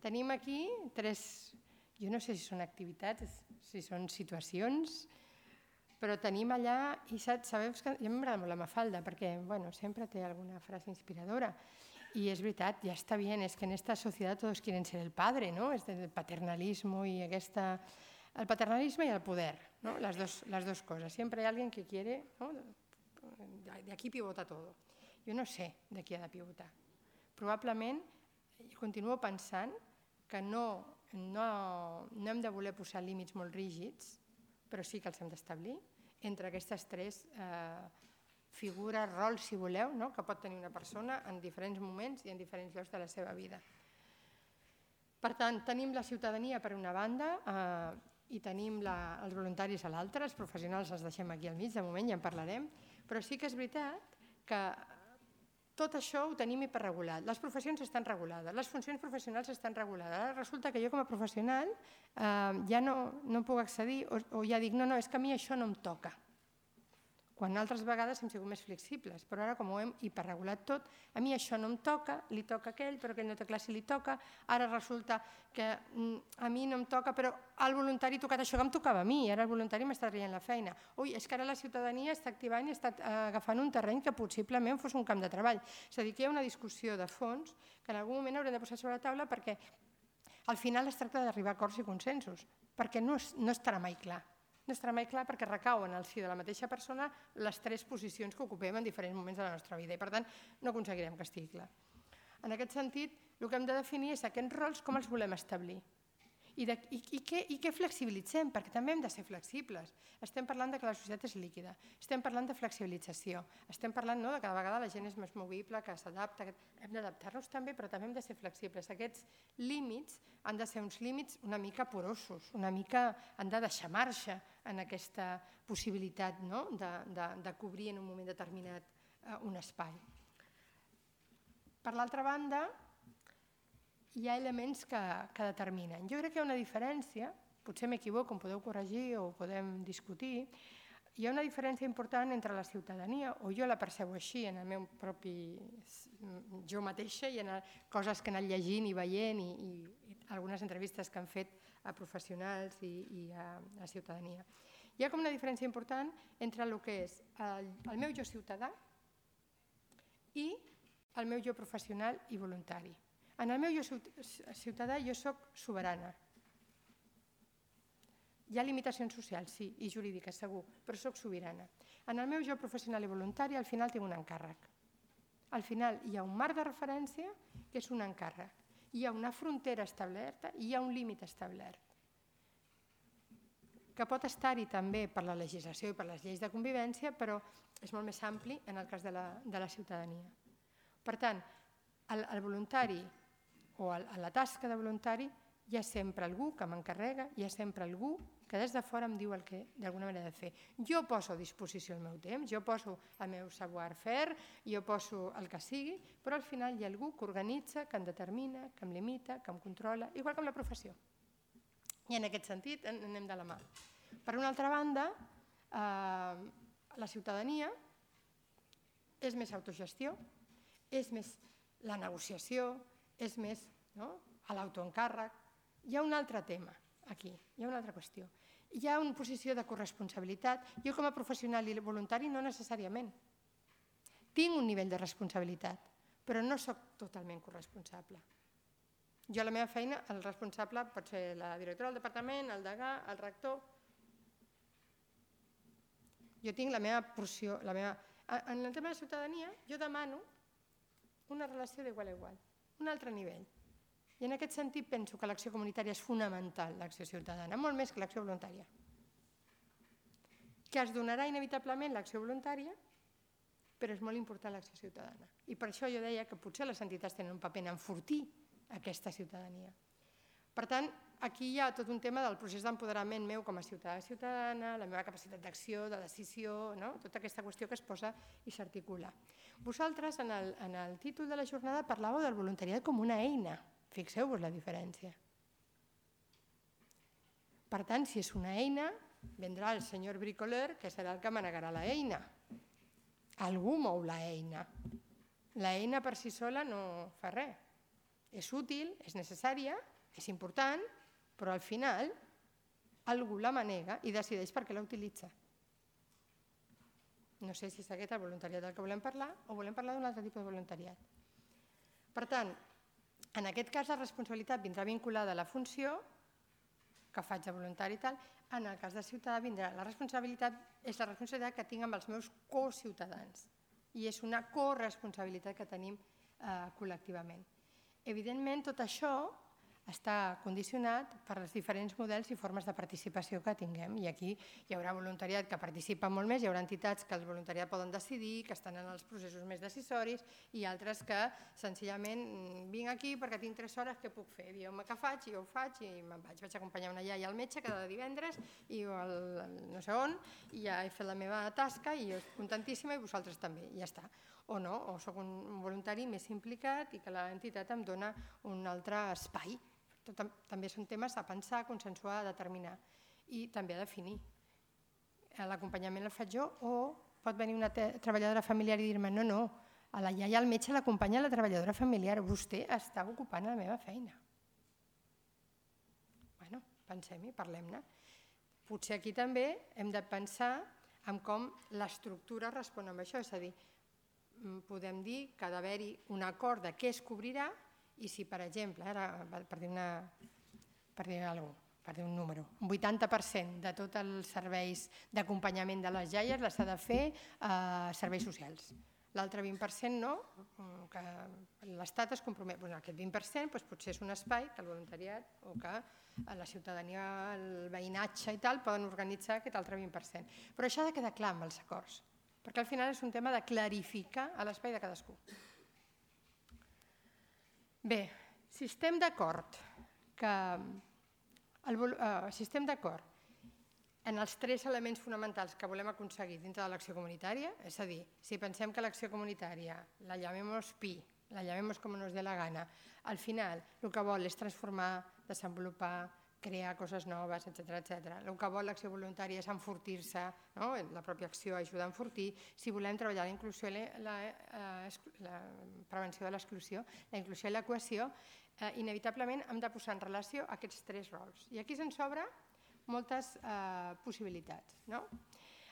Tenim aquí jo no sé si són activitats, si són situacions, però tenim allà, i sabeu que a mi m'agrada molt la Mafalda, perquè sempre té alguna frase inspiradora, i és veritat, ja està bien, es que en esta sociedad todos quieren ser el padre, ¿no? Es el paternalismo y el paternalismo y el poder, ¿no? Las dos cosas. Siempre hay alguien que quiere, ¿no? De aquí pivota todo. Jo no sé de qui ha de pivotar. Probablement, continuo pensant que no hem de voler posar límits molt rígids, però sí que els hem d'establir entre aquestes tres figures, rols, si voleu, que pot tenir una persona en diferents moments i en diferents llocs de la seva vida. Per tant, tenim la ciutadania per una banda i tenim els voluntaris a l'altra, els professionals els deixem aquí al mig, de moment ja en parlarem, però sí que és veritat que tot això ho tenim hiperregulat. Les professions estan regulades, les funcions professionals estan regulades. Ara resulta que jo com a professional ja no puc accedir o ja dic, no, és que a mi això no em toca. Quan altres vegades hem sigut més flexibles, però ara com ho hem hiperregulat tot, a mi això no em toca, li toca a aquell, però aquell no té clar si li toca, ara resulta que a mi no em toca, però al voluntari ha tocat això que em tocava a mi, ara el voluntari m'està traient la feina. Ui, és que ara la ciutadania està activant i està agafant un terreny que possiblement fos un camp de treball. És a dir, que hi ha una discussió de fons que en algun moment haurem de posar sobre la taula perquè al final es tracta d'arribar a acords i consensos, perquè no estarà mai clar. No estarà mai clar perquè recauen al si de la mateixa persona les tres posicions que ocupem en diferents moments de la nostra vida i per tant no aconseguirem que estigui clar. En aquest sentit, el que hem de definir és aquests rols com els volem establir i què flexibilitzem, perquè també hem de ser flexibles. Estem parlant que la societat és líquida, estem parlant de flexibilització, estem parlant que cada vegada la gent és més movible, que s'adapta, hem d'adaptar-nos també, però també hem de ser flexibles. Aquests límits han de ser uns límits una mica porosos, una mica han de deixar marxa en aquesta possibilitat de cobrir en un moment determinat un espai. Per l'altra banda, hi ha elements que determinen. Jo crec que hi ha una diferència, potser m'equivoco, em podeu corregir o podem discutir, hi ha una diferència important entre la ciutadania, o jo la percebo així en el meu propi jo mateixa i en coses que he anat llegint i veient i algunes entrevistes que han fet a professionals i a la ciutadania. Hi ha com una diferència important entre el que és el meu jo ciutadà i el meu jo professional i voluntari. En el meu jo ciutadà jo soc soberana. Hi ha limitacions socials, sí, i jurídiques, segur, però soc sobirana. En el meu jo professional i voluntari al final tinc un encàrrec. Al final hi ha un marc de referència que és un encàrrec. Hi ha una frontera establerta i hi ha un límit establert, que pot estar-hi també per la legislació i per les lleis de convivència, però és molt més ampli en el cas de la ciutadania. Per tant, el voluntari o la tasca de voluntari hi ha sempre algú que m'encarrega, hi ha sempre algú que des de fora em diu el que d'alguna manera he de fer. Jo poso a disposició el meu temps, jo poso el meu savoir-faire, jo poso el que sigui, però al final hi ha algú que organitza, que em determina, que em limita, que em controla, igual que amb la professió. I en aquest sentit anem de la mà. Per una altra banda, la ciutadania és més autogestió, és més la negociació, és més l'autoencàrrec. Hi ha un altre tema aquí, hi ha una altra qüestió. Hi ha una posició de corresponsabilitat. Jo com a professional i voluntari no necessàriament. Tinc un nivell de responsabilitat, però no soc totalment corresponsable. Jo a la meva feina, el responsable pot ser la directora del departament, el degà, el rector. Jo tinc la meva porció. En el tema de la ciutadania, jo demano una relació d'igual a igual, un altre nivell. I en aquest sentit penso que l'acció comunitària és fonamental, l'acció ciutadana, molt més que l'acció voluntària. Que es donarà inevitablement l'acció voluntària, però és molt important l'acció ciutadana. I per això jo deia que potser les entitats tenen un paper en enfortir aquesta ciutadania. Per tant, aquí hi ha tot un tema del procés d'empoderament meu com a ciutadana, la meva capacitat d'acció, de decisió, tota aquesta qüestió que es posa i s'articula. Vosaltres, en el títol de la jornada, parlàveu del voluntariat com una eina. Fixeu-vos la diferència. Per tant, si és una eina, vendrà el senyor bricoleur, que serà el que manegarà l'eina. Algú mou l'eina. L'eina per si sola no fa res. És útil, és necessària, és important, però al final algú la manega i decideix per què la utilitza. No sé si és aquest el voluntariat del que volem parlar o volem parlar d'un altre tipus de voluntariat. Per tant, en aquest cas la responsabilitat vindrà vinculada a la funció que faig de voluntari i tal. En el cas de ciutadà vindrà la responsabilitat, és la responsabilitat que tinc amb els meus co-ciutadans i és una corresponsabilitat que tenim col·lectivament. Evidentment, tot això està condicionat per els diferents models i formes de participació que tinguem. I aquí hi haurà voluntariat que participa molt més, hi haurà entitats que el voluntariat poden decidir, que estan en els processos més decisoris, i altres que senzillament vinc aquí perquè tinc 3 hores, què puc fer? Dieu-me què faig, i jo ho faig, i me'n vaig. Vaig acompanyar una iaia al metge cada divendres, i no sé on, i ja he fet la meva tasca, i jo estic contentíssima, i vosaltres també, i ja està. O no, o soc un voluntari més implicat i que l'entitat em dona un altre espai. També són temes a pensar, a consensuar, a determinar i també a definir. L'acompanyament el faig jo o pot venir una treballadora familiar i dir-me no, a la iaia al metge l'acompanya la treballadora familiar, vostè està ocupant la meva feina. Bueno, pensem-hi, parlem-ne. Potser aquí també hem de pensar en com l'estructura respon amb això, és a dir, podem dir que ha d'haver-hi un acord de què es cobrirà i si, per exemple, per dir un número, un 80% de tots els serveis d'acompanyament de les iaies les ha de fer serveis socials. L'altre 20% no, que l'Estat es compromet. Aquest 20% potser és un espai que el voluntariat o que la ciutadania, el veïnatge i tal poden organitzar aquest altre 20%. Però això ha de quedar clar amb els acords, perquè al final és un tema de clarificar l'espai de cadascú. Bé, si estem d'acord en els 3 elements fonamentals que volem aconseguir dintre de l'acció comunitària, és a dir, si pensem que l'acció comunitària, la llamemos PI, la llamemos com nos dé la gana, al final el que vol és transformar, desenvolupar, crear coses noves, etc. El que vol l'acció voluntària és enfortir-se, la pròpia acció ajuda a enfortir. Si volem treballar la inclusió i la prevenció de l'exclusió, la inclusió i la cohesió, inevitablement hem de posar en relació aquests 3 rols. I aquí se'ns obre moltes possibilitats.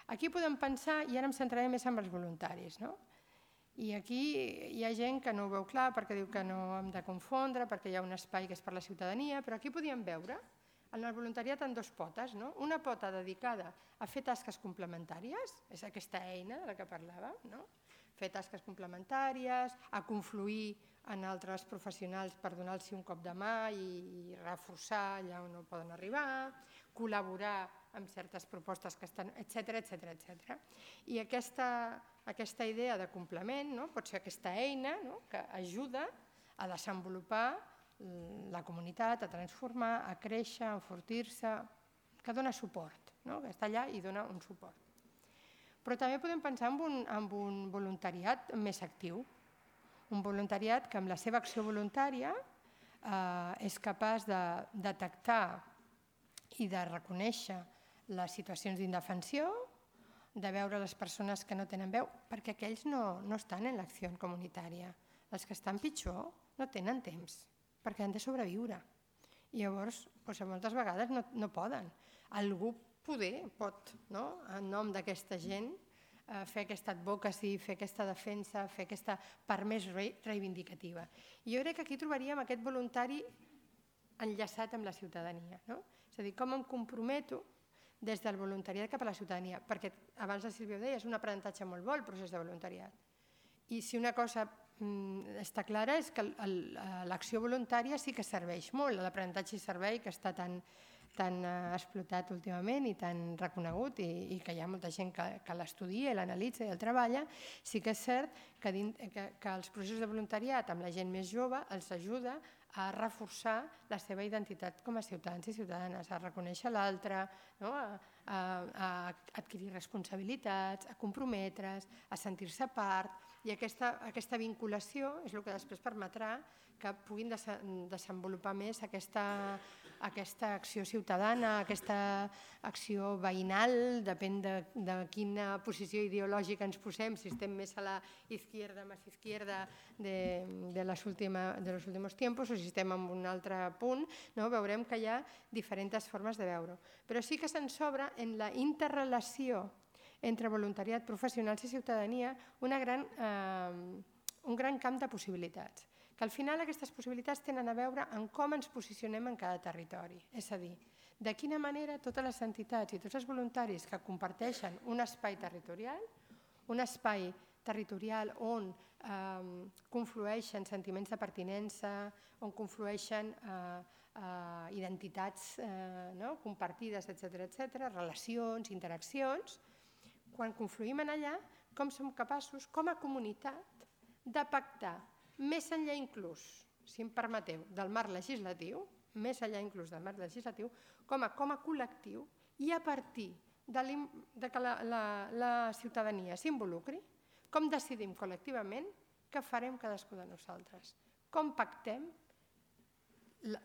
Aquí podem pensar, i ara em centraré més en els voluntaris, i aquí hi ha gent que no ho veu clar perquè diu que no hem de confondre, perquè hi ha un espai que és per la ciutadania, però aquí podíem veure en el voluntariat en dues potes. Una pota dedicada a fer tasques complementàries, és aquesta eina de la que parlàvem, fer tasques complementàries, a confluir en altres professionals per donar-los un cop de mà i reforçar allà on no poden arribar, col·laborar amb certes propostes que estan, etcètera. I aquesta idea de complement pot ser aquesta eina que ajuda a desenvolupar la comunitat, a transformar, a créixer, a enfortir-se, que dona suport, que està allà i dona un suport. Però també podem pensar en un voluntariat més actiu, un voluntariat que amb la seva acció voluntària és capaç de detectar i de reconèixer les situacions d'indefensió, de veure les persones que no tenen veu, perquè aquells no estan en l'acció comunitària. Els que estan pitjor no tenen temps, perquè han de sobreviure. I llavors, moltes vegades no poden. Algú pot, en nom d'aquesta gent, fer aquesta advocacy, fer aquesta defensa, fer aquesta part més reivindicativa. I jo crec que aquí trobaríem aquest voluntari enllaçat amb la ciutadania. És a dir, com em comprometo des del voluntariat cap a la ciutadania, perquè abans la Sílvia ho deia, és un aprenentatge molt bo el procés de voluntariat. I si una cosa està clara és que l'acció voluntària sí que serveix molt, l'aprenentatge i servei que està tan explotat últimament i tan reconegut i que hi ha molta gent que l'estudia, l'analitza i el treballa, sí que és cert que els processos de voluntariat amb la gent més jove els ajuda a reforçar la seva identitat com a ciutadans i ciutadanes, a reconèixer l'altre, a adquirir responsabilitats, a comprometre's, a sentir-se part, i aquesta vinculació és el que després permetrà que puguin desenvolupar més aquesta acció ciutadana, aquesta acció veïnal, depèn de quina posició ideològica ens posem, si estem més a la izquierda, más izquierda de los últimos tiempos o si estem en un altre punt, veurem que hi ha diferents formes de veure-ho. Però sí que se'ns obre en la interrelació entre voluntariat, professionals i ciutadania un gran camp de possibilitats, que al final aquestes possibilitats tenen a veure amb com ens posicionem en cada territori. És a dir, de quina manera totes les entitats i tots els voluntaris que comparteixen un espai territorial on conflueixen sentiments de pertinença, on conflueixen identitats compartides, etcètera, relacions, interaccions, quan confluïm en allà, com som capaços, com a comunitat, de pactar més enllà inclús, si em permeteu, del marc legislatiu, més enllà inclús del marc legislatiu, com a col·lectiu i a partir de que la ciutadania s'involucri, com decidim col·lectivament què farem cadascú de nosaltres, com pactem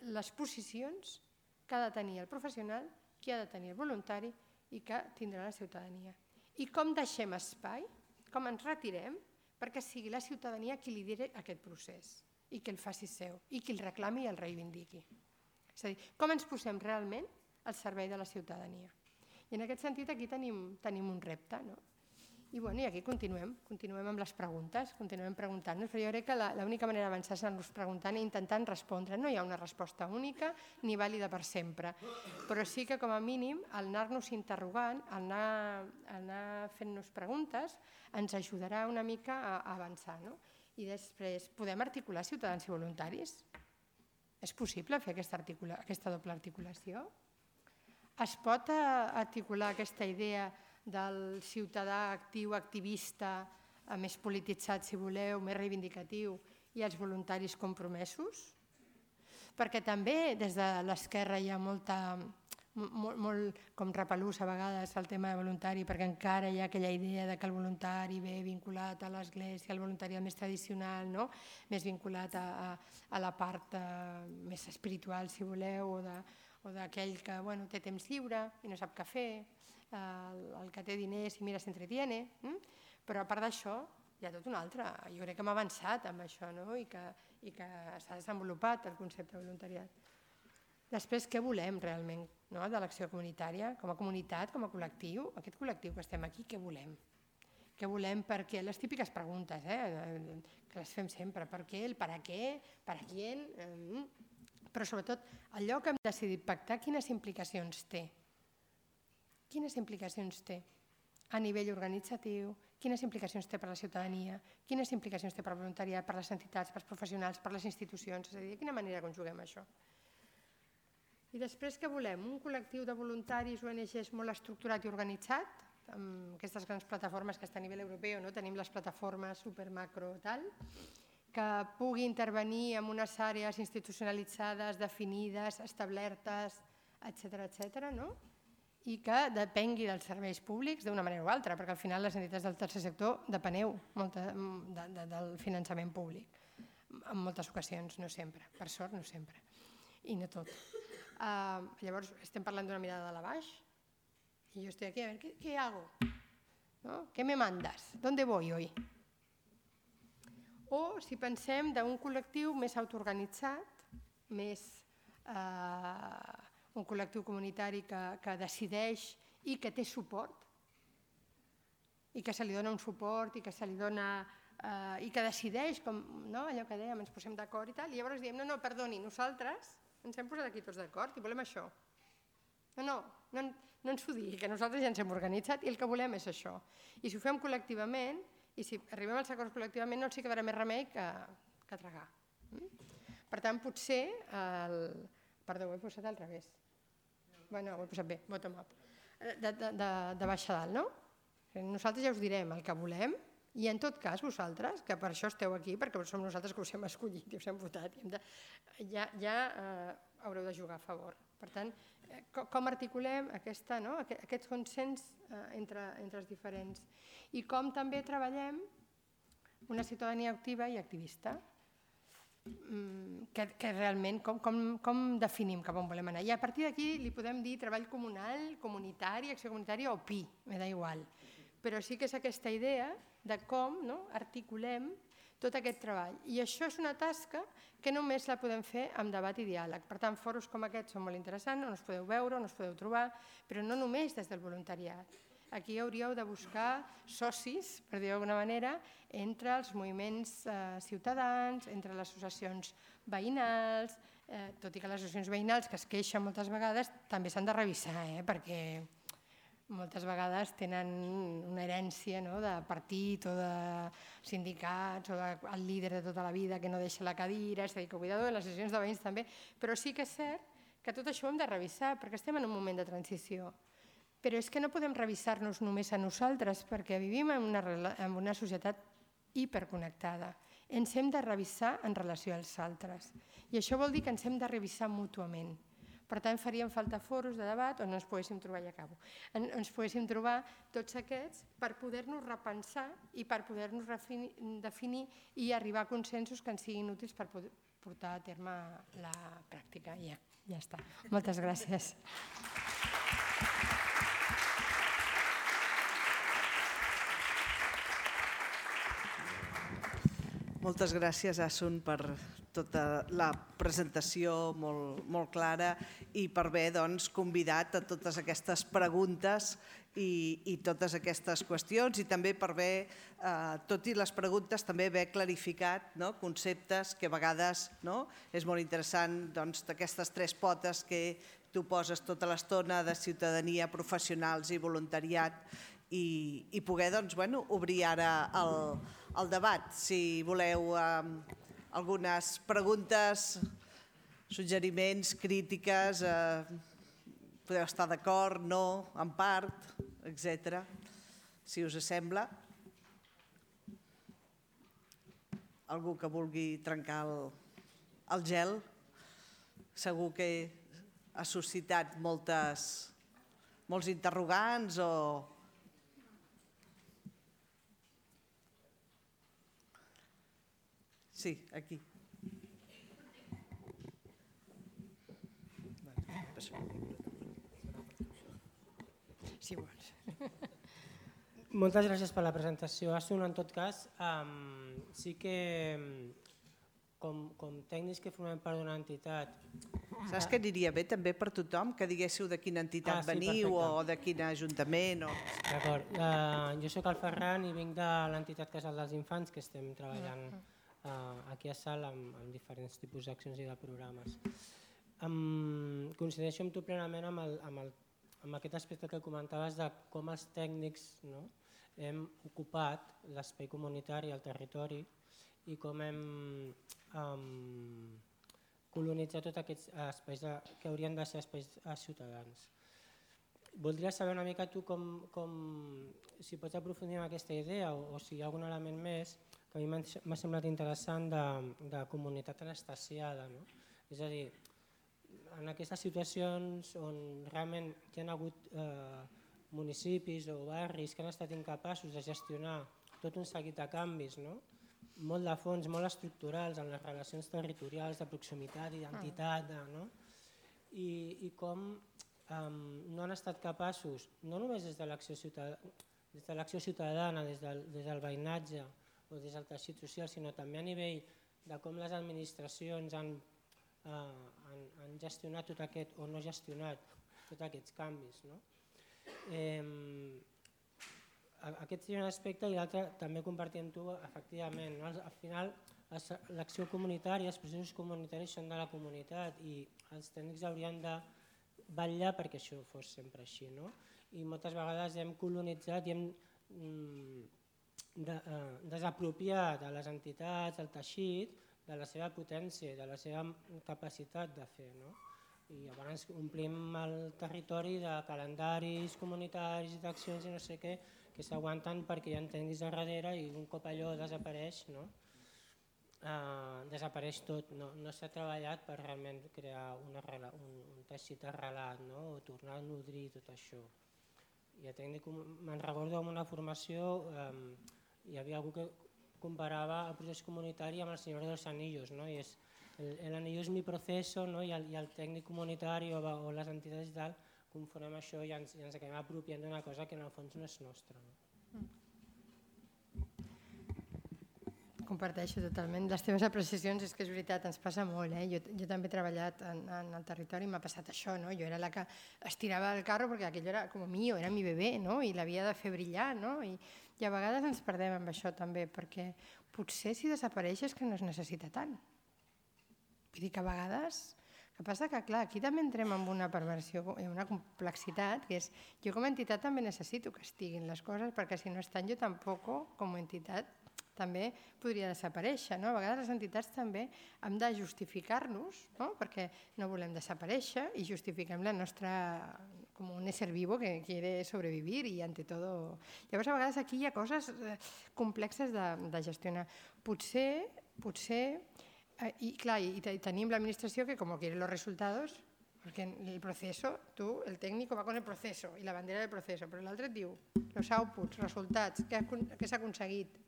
les posicions que ha de tenir el professional, que ha de tenir el voluntari i que tindrà la ciutadania. I com deixem espai, com ens retirem, perquè sigui la ciutadania qui lideri aquest procés i que el faci seu i qui el reclami i el reivindiqui. És a dir, com ens posem realment al servei de la ciutadania. I en aquest sentit aquí tenim un repte. I aquí continuem amb les preguntes, continuem preguntant-nos, però jo crec que l'única manera d'avançar és anar-nos preguntant i intentant respondre. No hi ha una resposta única ni vàlida per sempre, però sí que com a mínim al anar-nos interrogant, al anar fent-nos preguntes, ens ajudarà una mica a avançar. I després, podem articular ciutadans i voluntaris? És possible fer aquesta doble articulació? Es pot articular aquesta idea del ciutadà actiu, activista, més polititzat, si voleu, més reivindicatiu, i els voluntaris compromesos? Perquè també des de l'esquerra hi ha molt com repelús a vegades el tema de voluntari, perquè encara hi ha aquella idea que el voluntari ve vinculat a l'església, el voluntariat més tradicional, més vinculat a la part més espiritual, si voleu, o d'aquell que té temps lliure i no sap què fer, el que té diners i mira s'entretiene, però a part d'això hi ha tot un altre. Jo crec que hem avançat amb això i que s'ha desenvolupat el concepte de voluntariat. Després, què volem realment de l'acció comunitària? Com a comunitat, com a col·lectiu, aquest col·lectiu que estem aquí, què volem? Què volem, per què? Les típiques preguntes, que les fem sempre. Per què, el para què, para quién... Però sobretot, allò que hem decidit pactar, quines implicacions té? Quines implicacions té a nivell organitzatiu? Quines implicacions té per a la ciutadania? Quines implicacions té per al voluntariat, per a les entitats, per als professionals, per a les institucions? És a dir, de quina manera conjuguem això? I després què volem? Un col·lectiu de voluntaris ONGs molt estructurat i organitzat, amb aquestes grans plataformes que està a nivell europeu, tenim les plataformes super macro tal, que pugui intervenir en unes àrees institucionalitzades, definides, establertes, etc., i que depengui dels serveis públics d'una manera o altra, perquè al final les entitats del tercer sector depeneu del finançament públic, en moltes ocasions, no sempre, per sort no sempre, i no tot. Llavors estem parlant d'una mirada de la baix, y yo estoy aquí, a ver, ¿qué hago? ¿Qué me mandas? ¿Dónde voy hoy? O si pensem d'un col·lectiu més autoorganitzat, més un col·lectiu comunitari que decideix i que té suport, i que se li dona un suport, i que se li dona... i que decideix, allò que dèiem, ens posem d'acord i tal, i llavors diem, no, perdoni, nosaltres ens hem posat aquí tots d'acord i volem això. No ens ho digui, que nosaltres ja ens hem organitzat i el que volem és això. I si ho fem col·lectivament, i si arribem als acords col·lectivament, no ens hi quedarà més remei que tragar. Per tant, potser... Perdó, ho he posat al revés. Bueno, ho he posat bé, bottom up. De baix a dalt, no? Nosaltres ja us direm el que volem i en tot cas vosaltres, que per això esteu aquí, perquè som nosaltres que us hem escollit i us hem votat, ja haureu de jugar a favor. Per tant, com articulem aquest consens entre els diferents i com també treballem una ciutadania activa i activista, que realment com definim cap on volem anar. I a partir d'aquí li podem dir treball comunal, comunitari, acció comunitària o PI, m'és igual. Però sí que és aquesta idea de com articulem tot aquest treball. I això és una tasca que només la podem fer amb debat i diàleg. Per tant, fòrums com aquests són molt interessants, on us podeu veure, on us podeu trobar, però no només des del voluntariat. Aquí hauríeu de buscar socis, per dir-ho d'alguna manera, entre els moviments ciutadans, entre les associacions veïnals, tot i que les associacions veïnals que es queixen moltes vegades també s'han de revisar, perquè moltes vegades tenen una herència de partit o de sindicats o del líder de tota la vida que no deixa la cadira, és a dir, que cuidado de les associacions de veïns també, però sí que és cert que tot això ho hem de revisar perquè estem en un moment de transició. Però és que no podem revisar-nos només a nosaltres perquè vivim en una societat hiperconnectada. Ens hem de revisar en relació als altres i això vol dir que ens hem de revisar mútuament. Per tant, faríem falta foros de debat on ens poguéssim trobar, ja acabo, ens poguéssim trobar tots aquests per poder-nos repensar i per poder-nos definir i arribar a consensos que ens siguin útils per portar a terme la pràctica. Ja està. Moltes gràcies. Moltes gràcies, Asun, per tota la presentació molt clara i per haver convidat a totes aquestes preguntes i totes aquestes qüestions i també per haver, tot i les preguntes, també haver clarificat conceptes que a vegades és molt interessant d'aquestes tres potes que tu poses tota l'estona de ciutadania, professionals i voluntariat i poder obrir ara el debat. Si voleu algunes preguntes, suggeriments, crítiques, podeu estar d'acord, no, en part, etc. Si us sembla. Algú que vulgui trencar el gel, segur que ha suscitat molts interrogants o... Sí, aquí. Si vols. Moltes gràcies per la presentació. Asun, en tot cas, sí que com tècnics que formem part d'una entitat. Saps que aniria bé també per tothom que diguéssiu de quina entitat veniu o de quin ajuntament? D'acord. Jo soc el Ferran i vinc de l'entitat Casal dels Infants, que estem treballant aquí a Salt amb diferents tipus d'accions i de programes. Coincideixo amb tu plenament amb aquest aspecte que comentaves de com els tècnics hem ocupat l'espai comunitari al territori i com hem colonitzat tots aquests espais que haurien de ser espais ciutadans. Voldria saber una mica tu si pots aprofundir en aquesta idea o si hi ha algun element més que a mi m'ha semblat interessant de comunitat anestesiada. És a dir, en aquestes situacions on realment hi ha hagut municipis o barris que han estat incapaços de gestionar tot un seguit de canvis, molt de fons, molt estructurals en les relacions territorials, de proximitat, d'identitat, i com no han estat capaços, no només des de l'acció ciutadana, des del veïnatge o des del teixit social, sinó també a nivell de com les administracions han gestionat tot aquest, o no gestionat tots aquests canvis. Aquest seria un aspecte i l'altre també compartir amb tu, efectivament. Al final, l'acció comunitària, els processos comunitaris són de la comunitat i els tècnics haurien de vetllar perquè això fos sempre així. I moltes vegades hem colonitzat i hem desapropiat a les entitats, al teixit, de la seva potència, de la seva capacitat de fer. I llavors omplim el territori de calendaris comunitaris, d'accions i no sé què, que s'aguanten perquè hi ha tècnics darrere i un cop allò desapareix, desapareix tot. No s'ha treballat per realment crear un teixit arrelat o tornar a nodrir tot això. Me'n recordo en una formació hi havia algú que comparava el procés comunitari amb el Senyor dels Anillos. El anillo és mi proceso i el tècnic comunitari o les entitats i tal confonem això i ens acabem apropiant d'una cosa que en el fons no és nostra. Comparteixo totalment. Les teves apreciacions és que és veritat, ens passa molt. Jo també he treballat en el territori i m'ha passat això. Jo era la que estirava el carro perquè aquell era com mío, era mi bebè i l'havia de fer brillar. I a vegades ens perdem amb això també perquè potser si desapareix és que no es necessita tant. Vull dir que a vegades... El que passa que, clar, aquí també entrem en una perversió, en una complexitat, que és jo com a entitat també necessito que estiguin les coses perquè si no estan jo tampoc com a entitat també podria desaparèixer. A vegades les entitats també hem de justificar-nos perquè no volem desaparèixer i justifiquem la nostra com un ésser vivo que quiere sobrevivir i ante todo. Llavors a vegades aquí hi ha coses complexes de gestionar. Potser y claro, y tenim l'administració que como quiere los resultados, porque el proceso, el técnico va con el proceso y la bandera del proceso, però l'altre et diu els outputs, resultats, què s'ha aconseguit.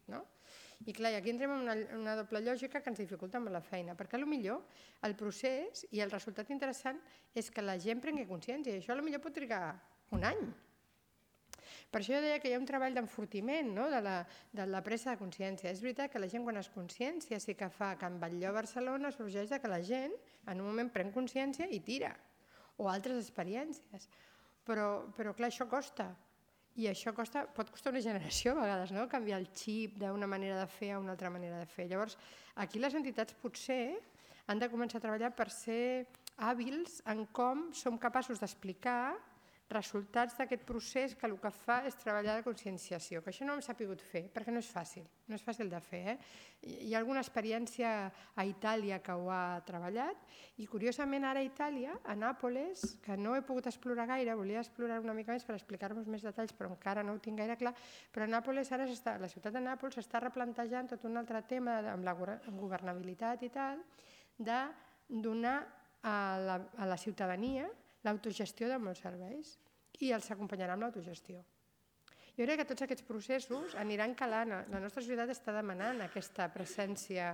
I clar, aquí entrem en una doble lògica que ens dificulta amb la feina, perquè potser el procés i el resultat interessant és que la gent prengui consciència i això potser pot trigar un any. Per això jo deia que hi ha un treball d'enfortiment de la presa de consciència. És veritat que la gent quan és consciència sí que fa que en Batlló a Barcelona sorgeix que la gent en un moment pren consciència i tira, o altres experiències. Però clar, això costa. I això pot costar una generació a vegades, canviar el xip d'una manera de fer a una altra manera de fer. Llavors, aquí les entitats potser han de començar a treballar per ser hàbils en com som capaços d'explicar resultats d'aquest procés que el que fa és treballar de conscienciació, que això no hem sabut fer, perquè no és fàcil de fer. Hi ha alguna experiència a Itàlia que ho ha treballat i curiosament ara a Itàlia, a Nàpoles, que no he pogut explorar gaire, volia explorar una mica més per explicar-vos més detalls, però encara no ho tinc gaire clar, però a Nàpoles ara la ciutat de Nàpols s'està replantejant tot un altre tema amb la governabilitat i tal, de donar a la ciutadania l'autogestió de molts serveis i els acompanyarà amb l'autogestió. Jo crec que tots aquests processos aniran calant. La nostra societat està demanant aquesta presència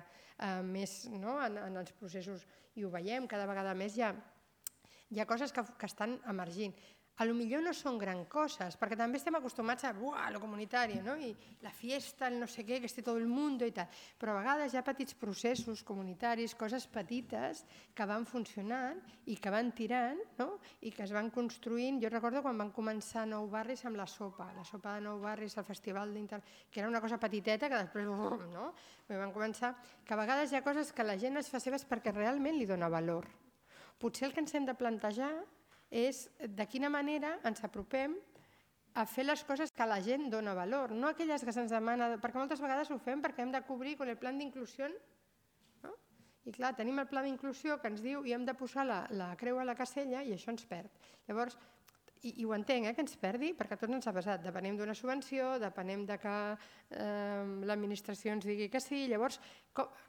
més en els processos i ho veiem, cada vegada més hi ha coses que estan emergint. potser no són gran coses, perquè també estem acostumats a lo comunitari, no? I la fiesta, el no sé què, que esté tot el món i tal. Però a vegades hi ha petits processos comunitaris, coses petites que van funcionant i que van tirant, no? I que es van construint. Jo recordo quan van començar Nou Barris amb la sopa de Nou Barris, el festival que era una cosa petiteta que després, no? Van començar, que a vegades hi ha coses que la gent es fa seves perquè realment li dona valor. Potser el que ens hem de plantejar és de quina manera ens apropem a fer les coses que la gent dona valor, no aquelles que se'ns demana, perquè moltes vegades ho fem perquè hem de cobrir amb el pla d'inclusió, no? I clar, tenim el pla d'inclusió que ens diu i hem de posar la creu a la casella i això ens perd. Llavors, i ho entenc, que ens perdi, perquè a tots ens ha passat, depenem d'una subvenció, depenem de que l'administració ens digui que sí, llavors,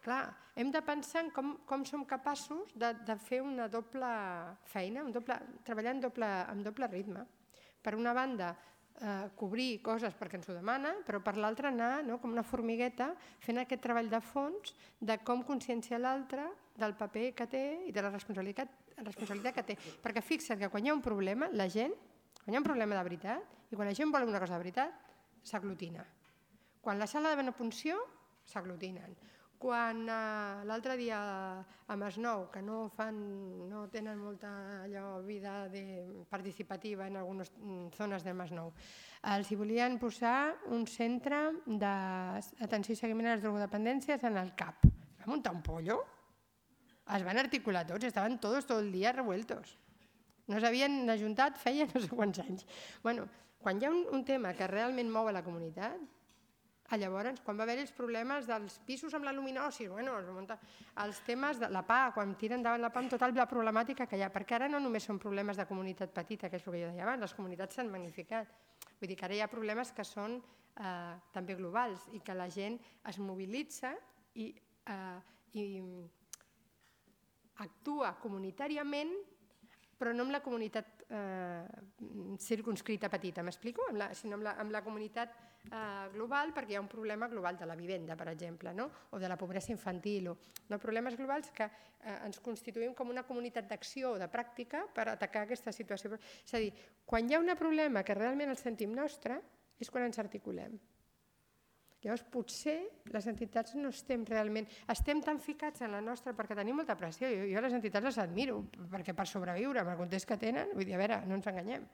clar, hem de pensar en com som capaços de fer una doble feina, treballar en doble ritme. Per una banda, cobrir coses perquè ens ho demana, però per l'altra anar com una formigueta fent aquest treball de fons de com conscienciar l'altre del paper que té i de la responsabilitat que té. Perquè fixa't que quan hi ha un problema, la gent, quan hi ha un problema de veritat, i quan la gent vol una cosa de veritat, s'aglutina. Quan la sala de punció, s'aglutinen. Quan l'altre dia a Masnou, que no tenen molta vida participativa en algunes zones de Masnou, els volien posar un centre d'atenció i seguiment a les drogodependències en el CAP. Va muntar un pollo. Es van articular tots, estaven tots tot el dia revueltos. No s'havien ajuntat feia no sé quants anys. Quan hi ha un tema que realment mou a la comunitat, llavors, quan va haver-hi els problemes dels pisos amb la luminosi, els temes de la PA, quan tiren endavant la PA amb tota la problemàtica que hi ha, perquè ara no només són problemes de comunitat petita, que és el que jo deia abans, les comunitats s'han magnificat. Vull dir que ara hi ha problemes que són també globals i que la gent es mobilitza i actua comunitàriament, però no amb la comunitat circunscrita petita, m'explico? Sinó amb la comunitat global, perquè hi ha un problema global de la vivenda, per exemple, o de la pobresa infantil, o problemes globals que ens constituïm com una comunitat d'acció o de pràctica per atacar aquesta situació. És a dir, quan hi ha un problema que realment el sentim nostre, és quan ens articulem. Llavors, potser les entitats no estem realment... Estem tan ficats en la nostra perquè tenim molta pressió. Jo les entitats les admiro, perquè per sobreviure amb el context que tenen, vull dir, a veure, no ens enganyem.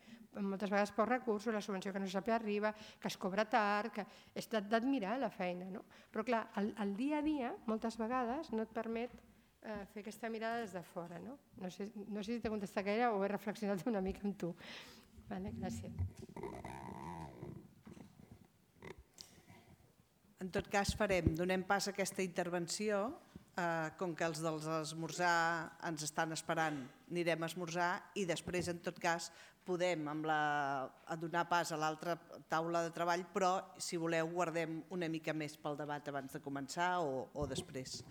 Moltes vegades pocs recursos, la subvenció que no sap arriba, que es cobra tard, que és d'admirar la feina. Però clar, el dia a dia, moltes vegades, no et permet fer aquesta mirada des de fora. No sé si t'he contestat gaire o he reflexionat una mica amb tu. Gràcies. En tot cas, donem pas a aquesta intervenció. Com que els dels esmorzar ens estan esperant, anirem a esmorzar i després, en tot cas, podem donar pas a l'altra taula de treball, però, si voleu, guardem una mica més pel debat abans de començar o després.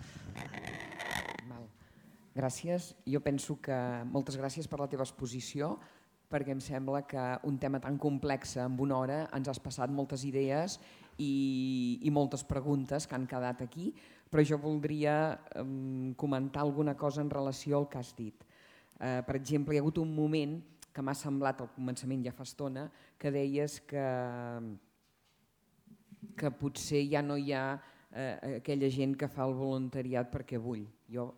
Gràcies. Jo penso que moltes gràcies per la teva exposició, perquè em sembla que un tema tan complex en una hora ens has passat moltes idees i moltes preguntes que han quedat aquí, però jo voldria comentar alguna cosa en relació al que has dit. Per exemple, hi ha hagut un moment que m'ha semblat al començament, ja fa estona, que deies que potser ja no hi ha aquella gent que fa el voluntariat perquè vull. Jo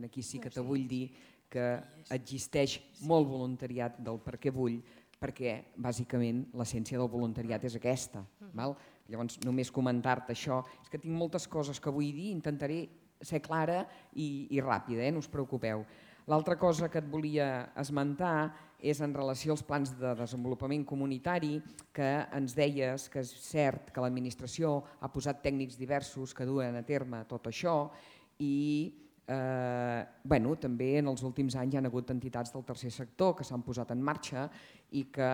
aquí sí que te vull dir que existeix molt voluntariat del perquè vull, perquè bàsicament l'essència del voluntariat és aquesta. Llavors, només comentar-te això. És que tinc moltes coses que vull dir, intentaré ser clara i ràpida, no us preocupeu. L'altra cosa que et volia esmentar és en relació als plans de desenvolupament comunitari, que ens deies que és cert que l'administració ha posat tècnics diversos que duen a terme tot això i també en els últims anys hi ha hagut entitats del tercer sector que s'han posat en marxa i que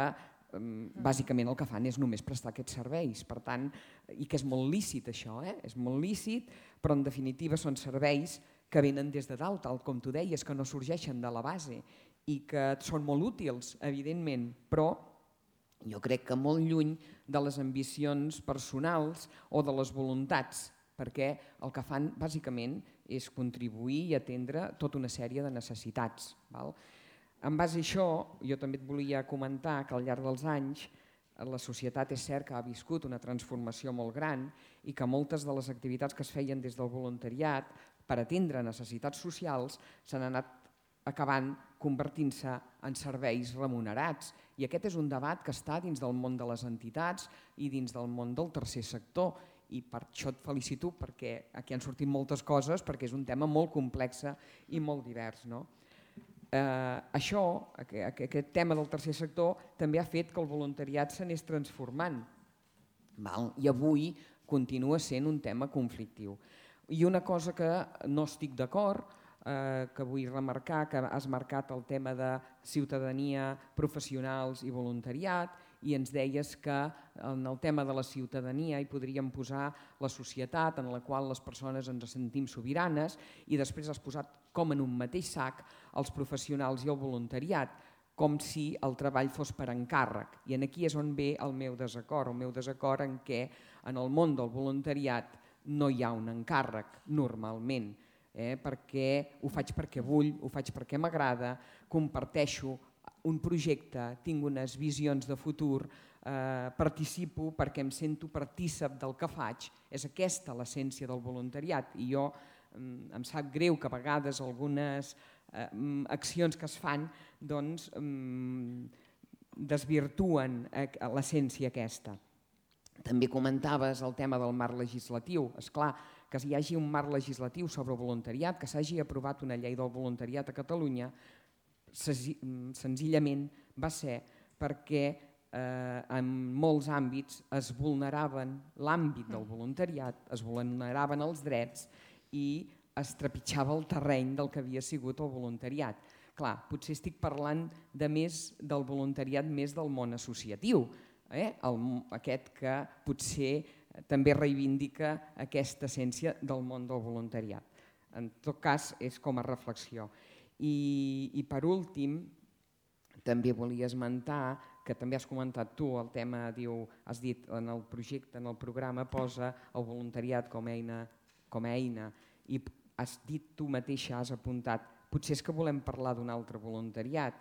bàsicament el que fan és només prestar aquests serveis, per tant, i que és molt lícit això, és molt lícit, però en definitiva són serveis que venen des de dalt, tal com tu deies, que no sorgeixen de la base i que són molt útils, evidentment, però jo crec que molt lluny de les ambicions personals o de les voluntats, perquè el que fan bàsicament és contribuir i atendre tota una sèrie de necessitats. En base a això, jo també et volia comentar que al llarg dels anys la societat és cert que ha viscut una transformació molt gran i que moltes de les activitats que es feien des del voluntariat per atendre necessitats socials s'han anat acabant convertint-se en serveis remunerats. I aquest és un debat que està dins del món de les entitats i dins del món del tercer sector. I per això et felicito perquè aquí han sortit moltes coses, perquè és un tema molt complex i molt divers. Això, aquest tema del tercer sector, també ha fet que el voluntariat s'anés transformant. I avui continua sent un tema conflictiu. I una cosa que no estic d'acord, que vull remarcar, que has marcat el tema de ciutadania, professionals i voluntariat, i ens deies que en el tema de la ciutadania hi podríem posar la societat en la qual les persones ens sentim sobiranes, i després has posat com en un mateix sac els professionals i el voluntariat, com si el treball fos per encàrrec. I aquí és on ve el meu desacord en què en el món del voluntariat no hi ha un encàrrec normalment, perquè ho faig perquè vull, ho faig perquè m'agrada, comparteixo un projecte, tinc unes visions de futur, participo perquè em sento partícip del que faig. És aquesta l'essència del voluntariat, i jo em sap greu que a vegades algunes accions que es fan desvirtuen l'essència aquesta. També comentaves el tema del marc legislatiu. És clar, que hi hagi un marc legislatiu sobre voluntariat, que s'hagi aprovat una llei del voluntariat a Catalunya, senzillament va ser perquè en molts àmbits es vulneraven l'àmbit del voluntariat, es vulneraven els drets i es trepitjava el terreny del que havia sigut el voluntariat. Clar, potser estic parlant del voluntariat més del món associatiu, aquest que potser també reivindica aquesta essència del món del voluntariat. En tot cas, és com a reflexió. I per últim, també volia esmentar, que també has comentat tu, el tema, has dit en el projecte, en el programa, posa el voluntariat com a eina, i has dit tu mateixa, has apuntat, potser és que volem parlar d'un altre voluntariat.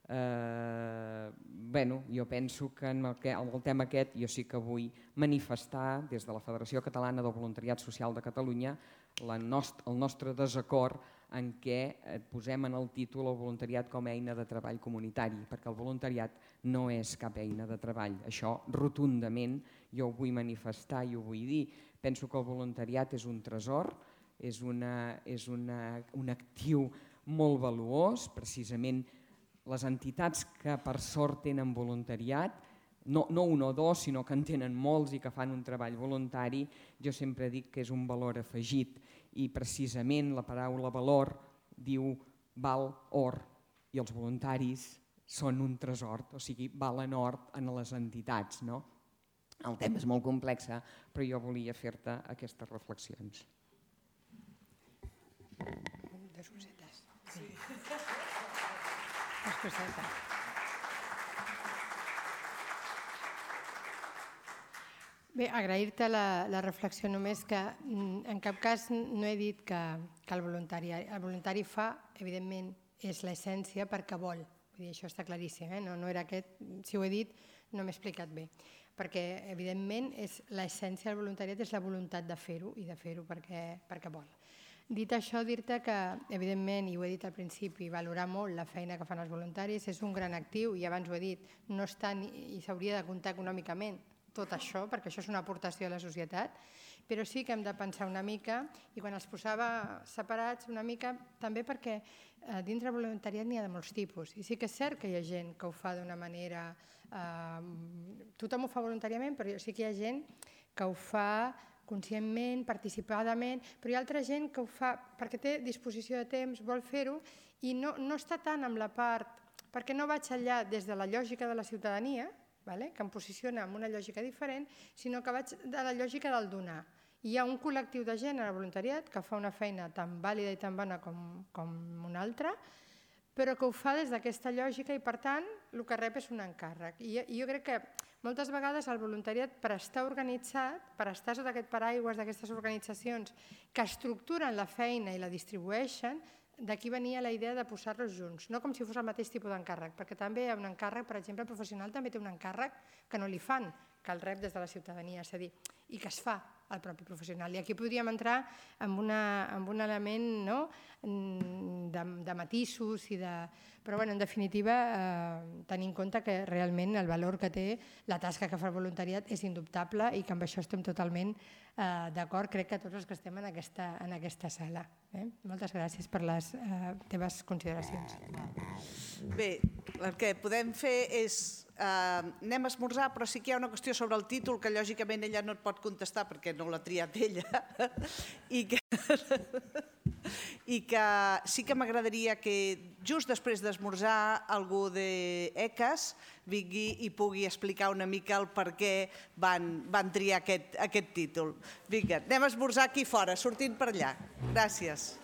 Jo penso que en el tema aquest jo sí que vull manifestar des de la Federació Catalana del Voluntariat Social de Catalunya el nostre desacord en què posem en el títol el voluntariat com a eina de treball comunitari, perquè el voluntariat no és cap eina de treball. Això rotundament jo ho vull manifestar i ho vull dir. Penso que el voluntariat és un tresor, és un actiu molt valuós, precisament les entitats que per sort tenen voluntariat, no un o dos, sinó que en tenen molts i que fan un treball voluntari, jo sempre dic que és un valor afegit, i precisament la paraula valor diu val or, i els voluntaris són un tresor, o sigui, valen or en les entitats. El tema és molt complex, però jo volia fer-te aquestes reflexions. Dos cosetes. Sí. Bé, agrair-te la reflexió, només que en cap cas no he dit que el voluntari fa, evidentment, és l'essència perquè vol. Vull dir, això està claríssim, no era aquest, si ho he dit no m'he explicat bé, perquè evidentment l'essència del voluntariat és la voluntat de fer-ho i de fer-ho perquè vol. Dit això, dir-te que, evidentment, i ho he dit al principi, valorar molt la feina que fan els voluntaris, és un gran actiu, i abans ho he dit, no està i s'hauria de comptar econòmicament tot això, perquè això és una aportació a la societat, però sí que hem de pensar una mica, i quan els posava separats una mica, també perquè dintre del voluntariat n'hi ha de molts tipus, i sí que és cert que hi ha gent que ho fa d'una manera... Tothom ho fa voluntàriament, però sí que hi ha gent que ho fa conscientment, participadament, però hi ha altra gent que ho fa perquè té disposició de temps, vol fer-ho, i no està tant amb la part, perquè no vaig allà des de la lògica de la ciutadania, que em posiciona en una lògica diferent, sinó que vaig de la lògica del donar. Hi ha un col·lectiu de gent en el voluntariat que fa una feina tan vàlida i tan bona com una altra, però que ho fa des d'aquesta lògica i, per tant, el que rep és un encàrrec. I jo crec que moltes vegades el voluntariat, per estar organitzat, per estar sota aquest paraigües d'aquestes organitzacions que estructuren la feina i la distribueixen, d'aquí venia la idea de posar-los junts, no com si fos el mateix tipus d'encàrrec, perquè també hi ha un encàrrec, per exemple, el professional també té un encàrrec que no li fan, que el rep des de la ciutadania, és a dir, i que es fa al propi professional. I aquí podríem entrar en un element de matisos, però en definitiva tenir en compte que realment el valor que té la tasca que fa el voluntariat és indubtable i que amb això estem totalment d'acord, crec que tots els que estem en aquesta sala. Moltes gràcies per les teves consideracions. Bé, el que podem fer és anem a esmorzar, però sí que hi ha una qüestió sobre el títol que lògicament ella no et pot contestar perquè no l'ha triat ella i que sí que m'agradaria que just després d'esmorzar algú d'ECAS vingui i pugui explicar una mica el per què van triar aquest títol. Vinga, anem a esmorzar aquí fora, sortint per allà. Gràcies.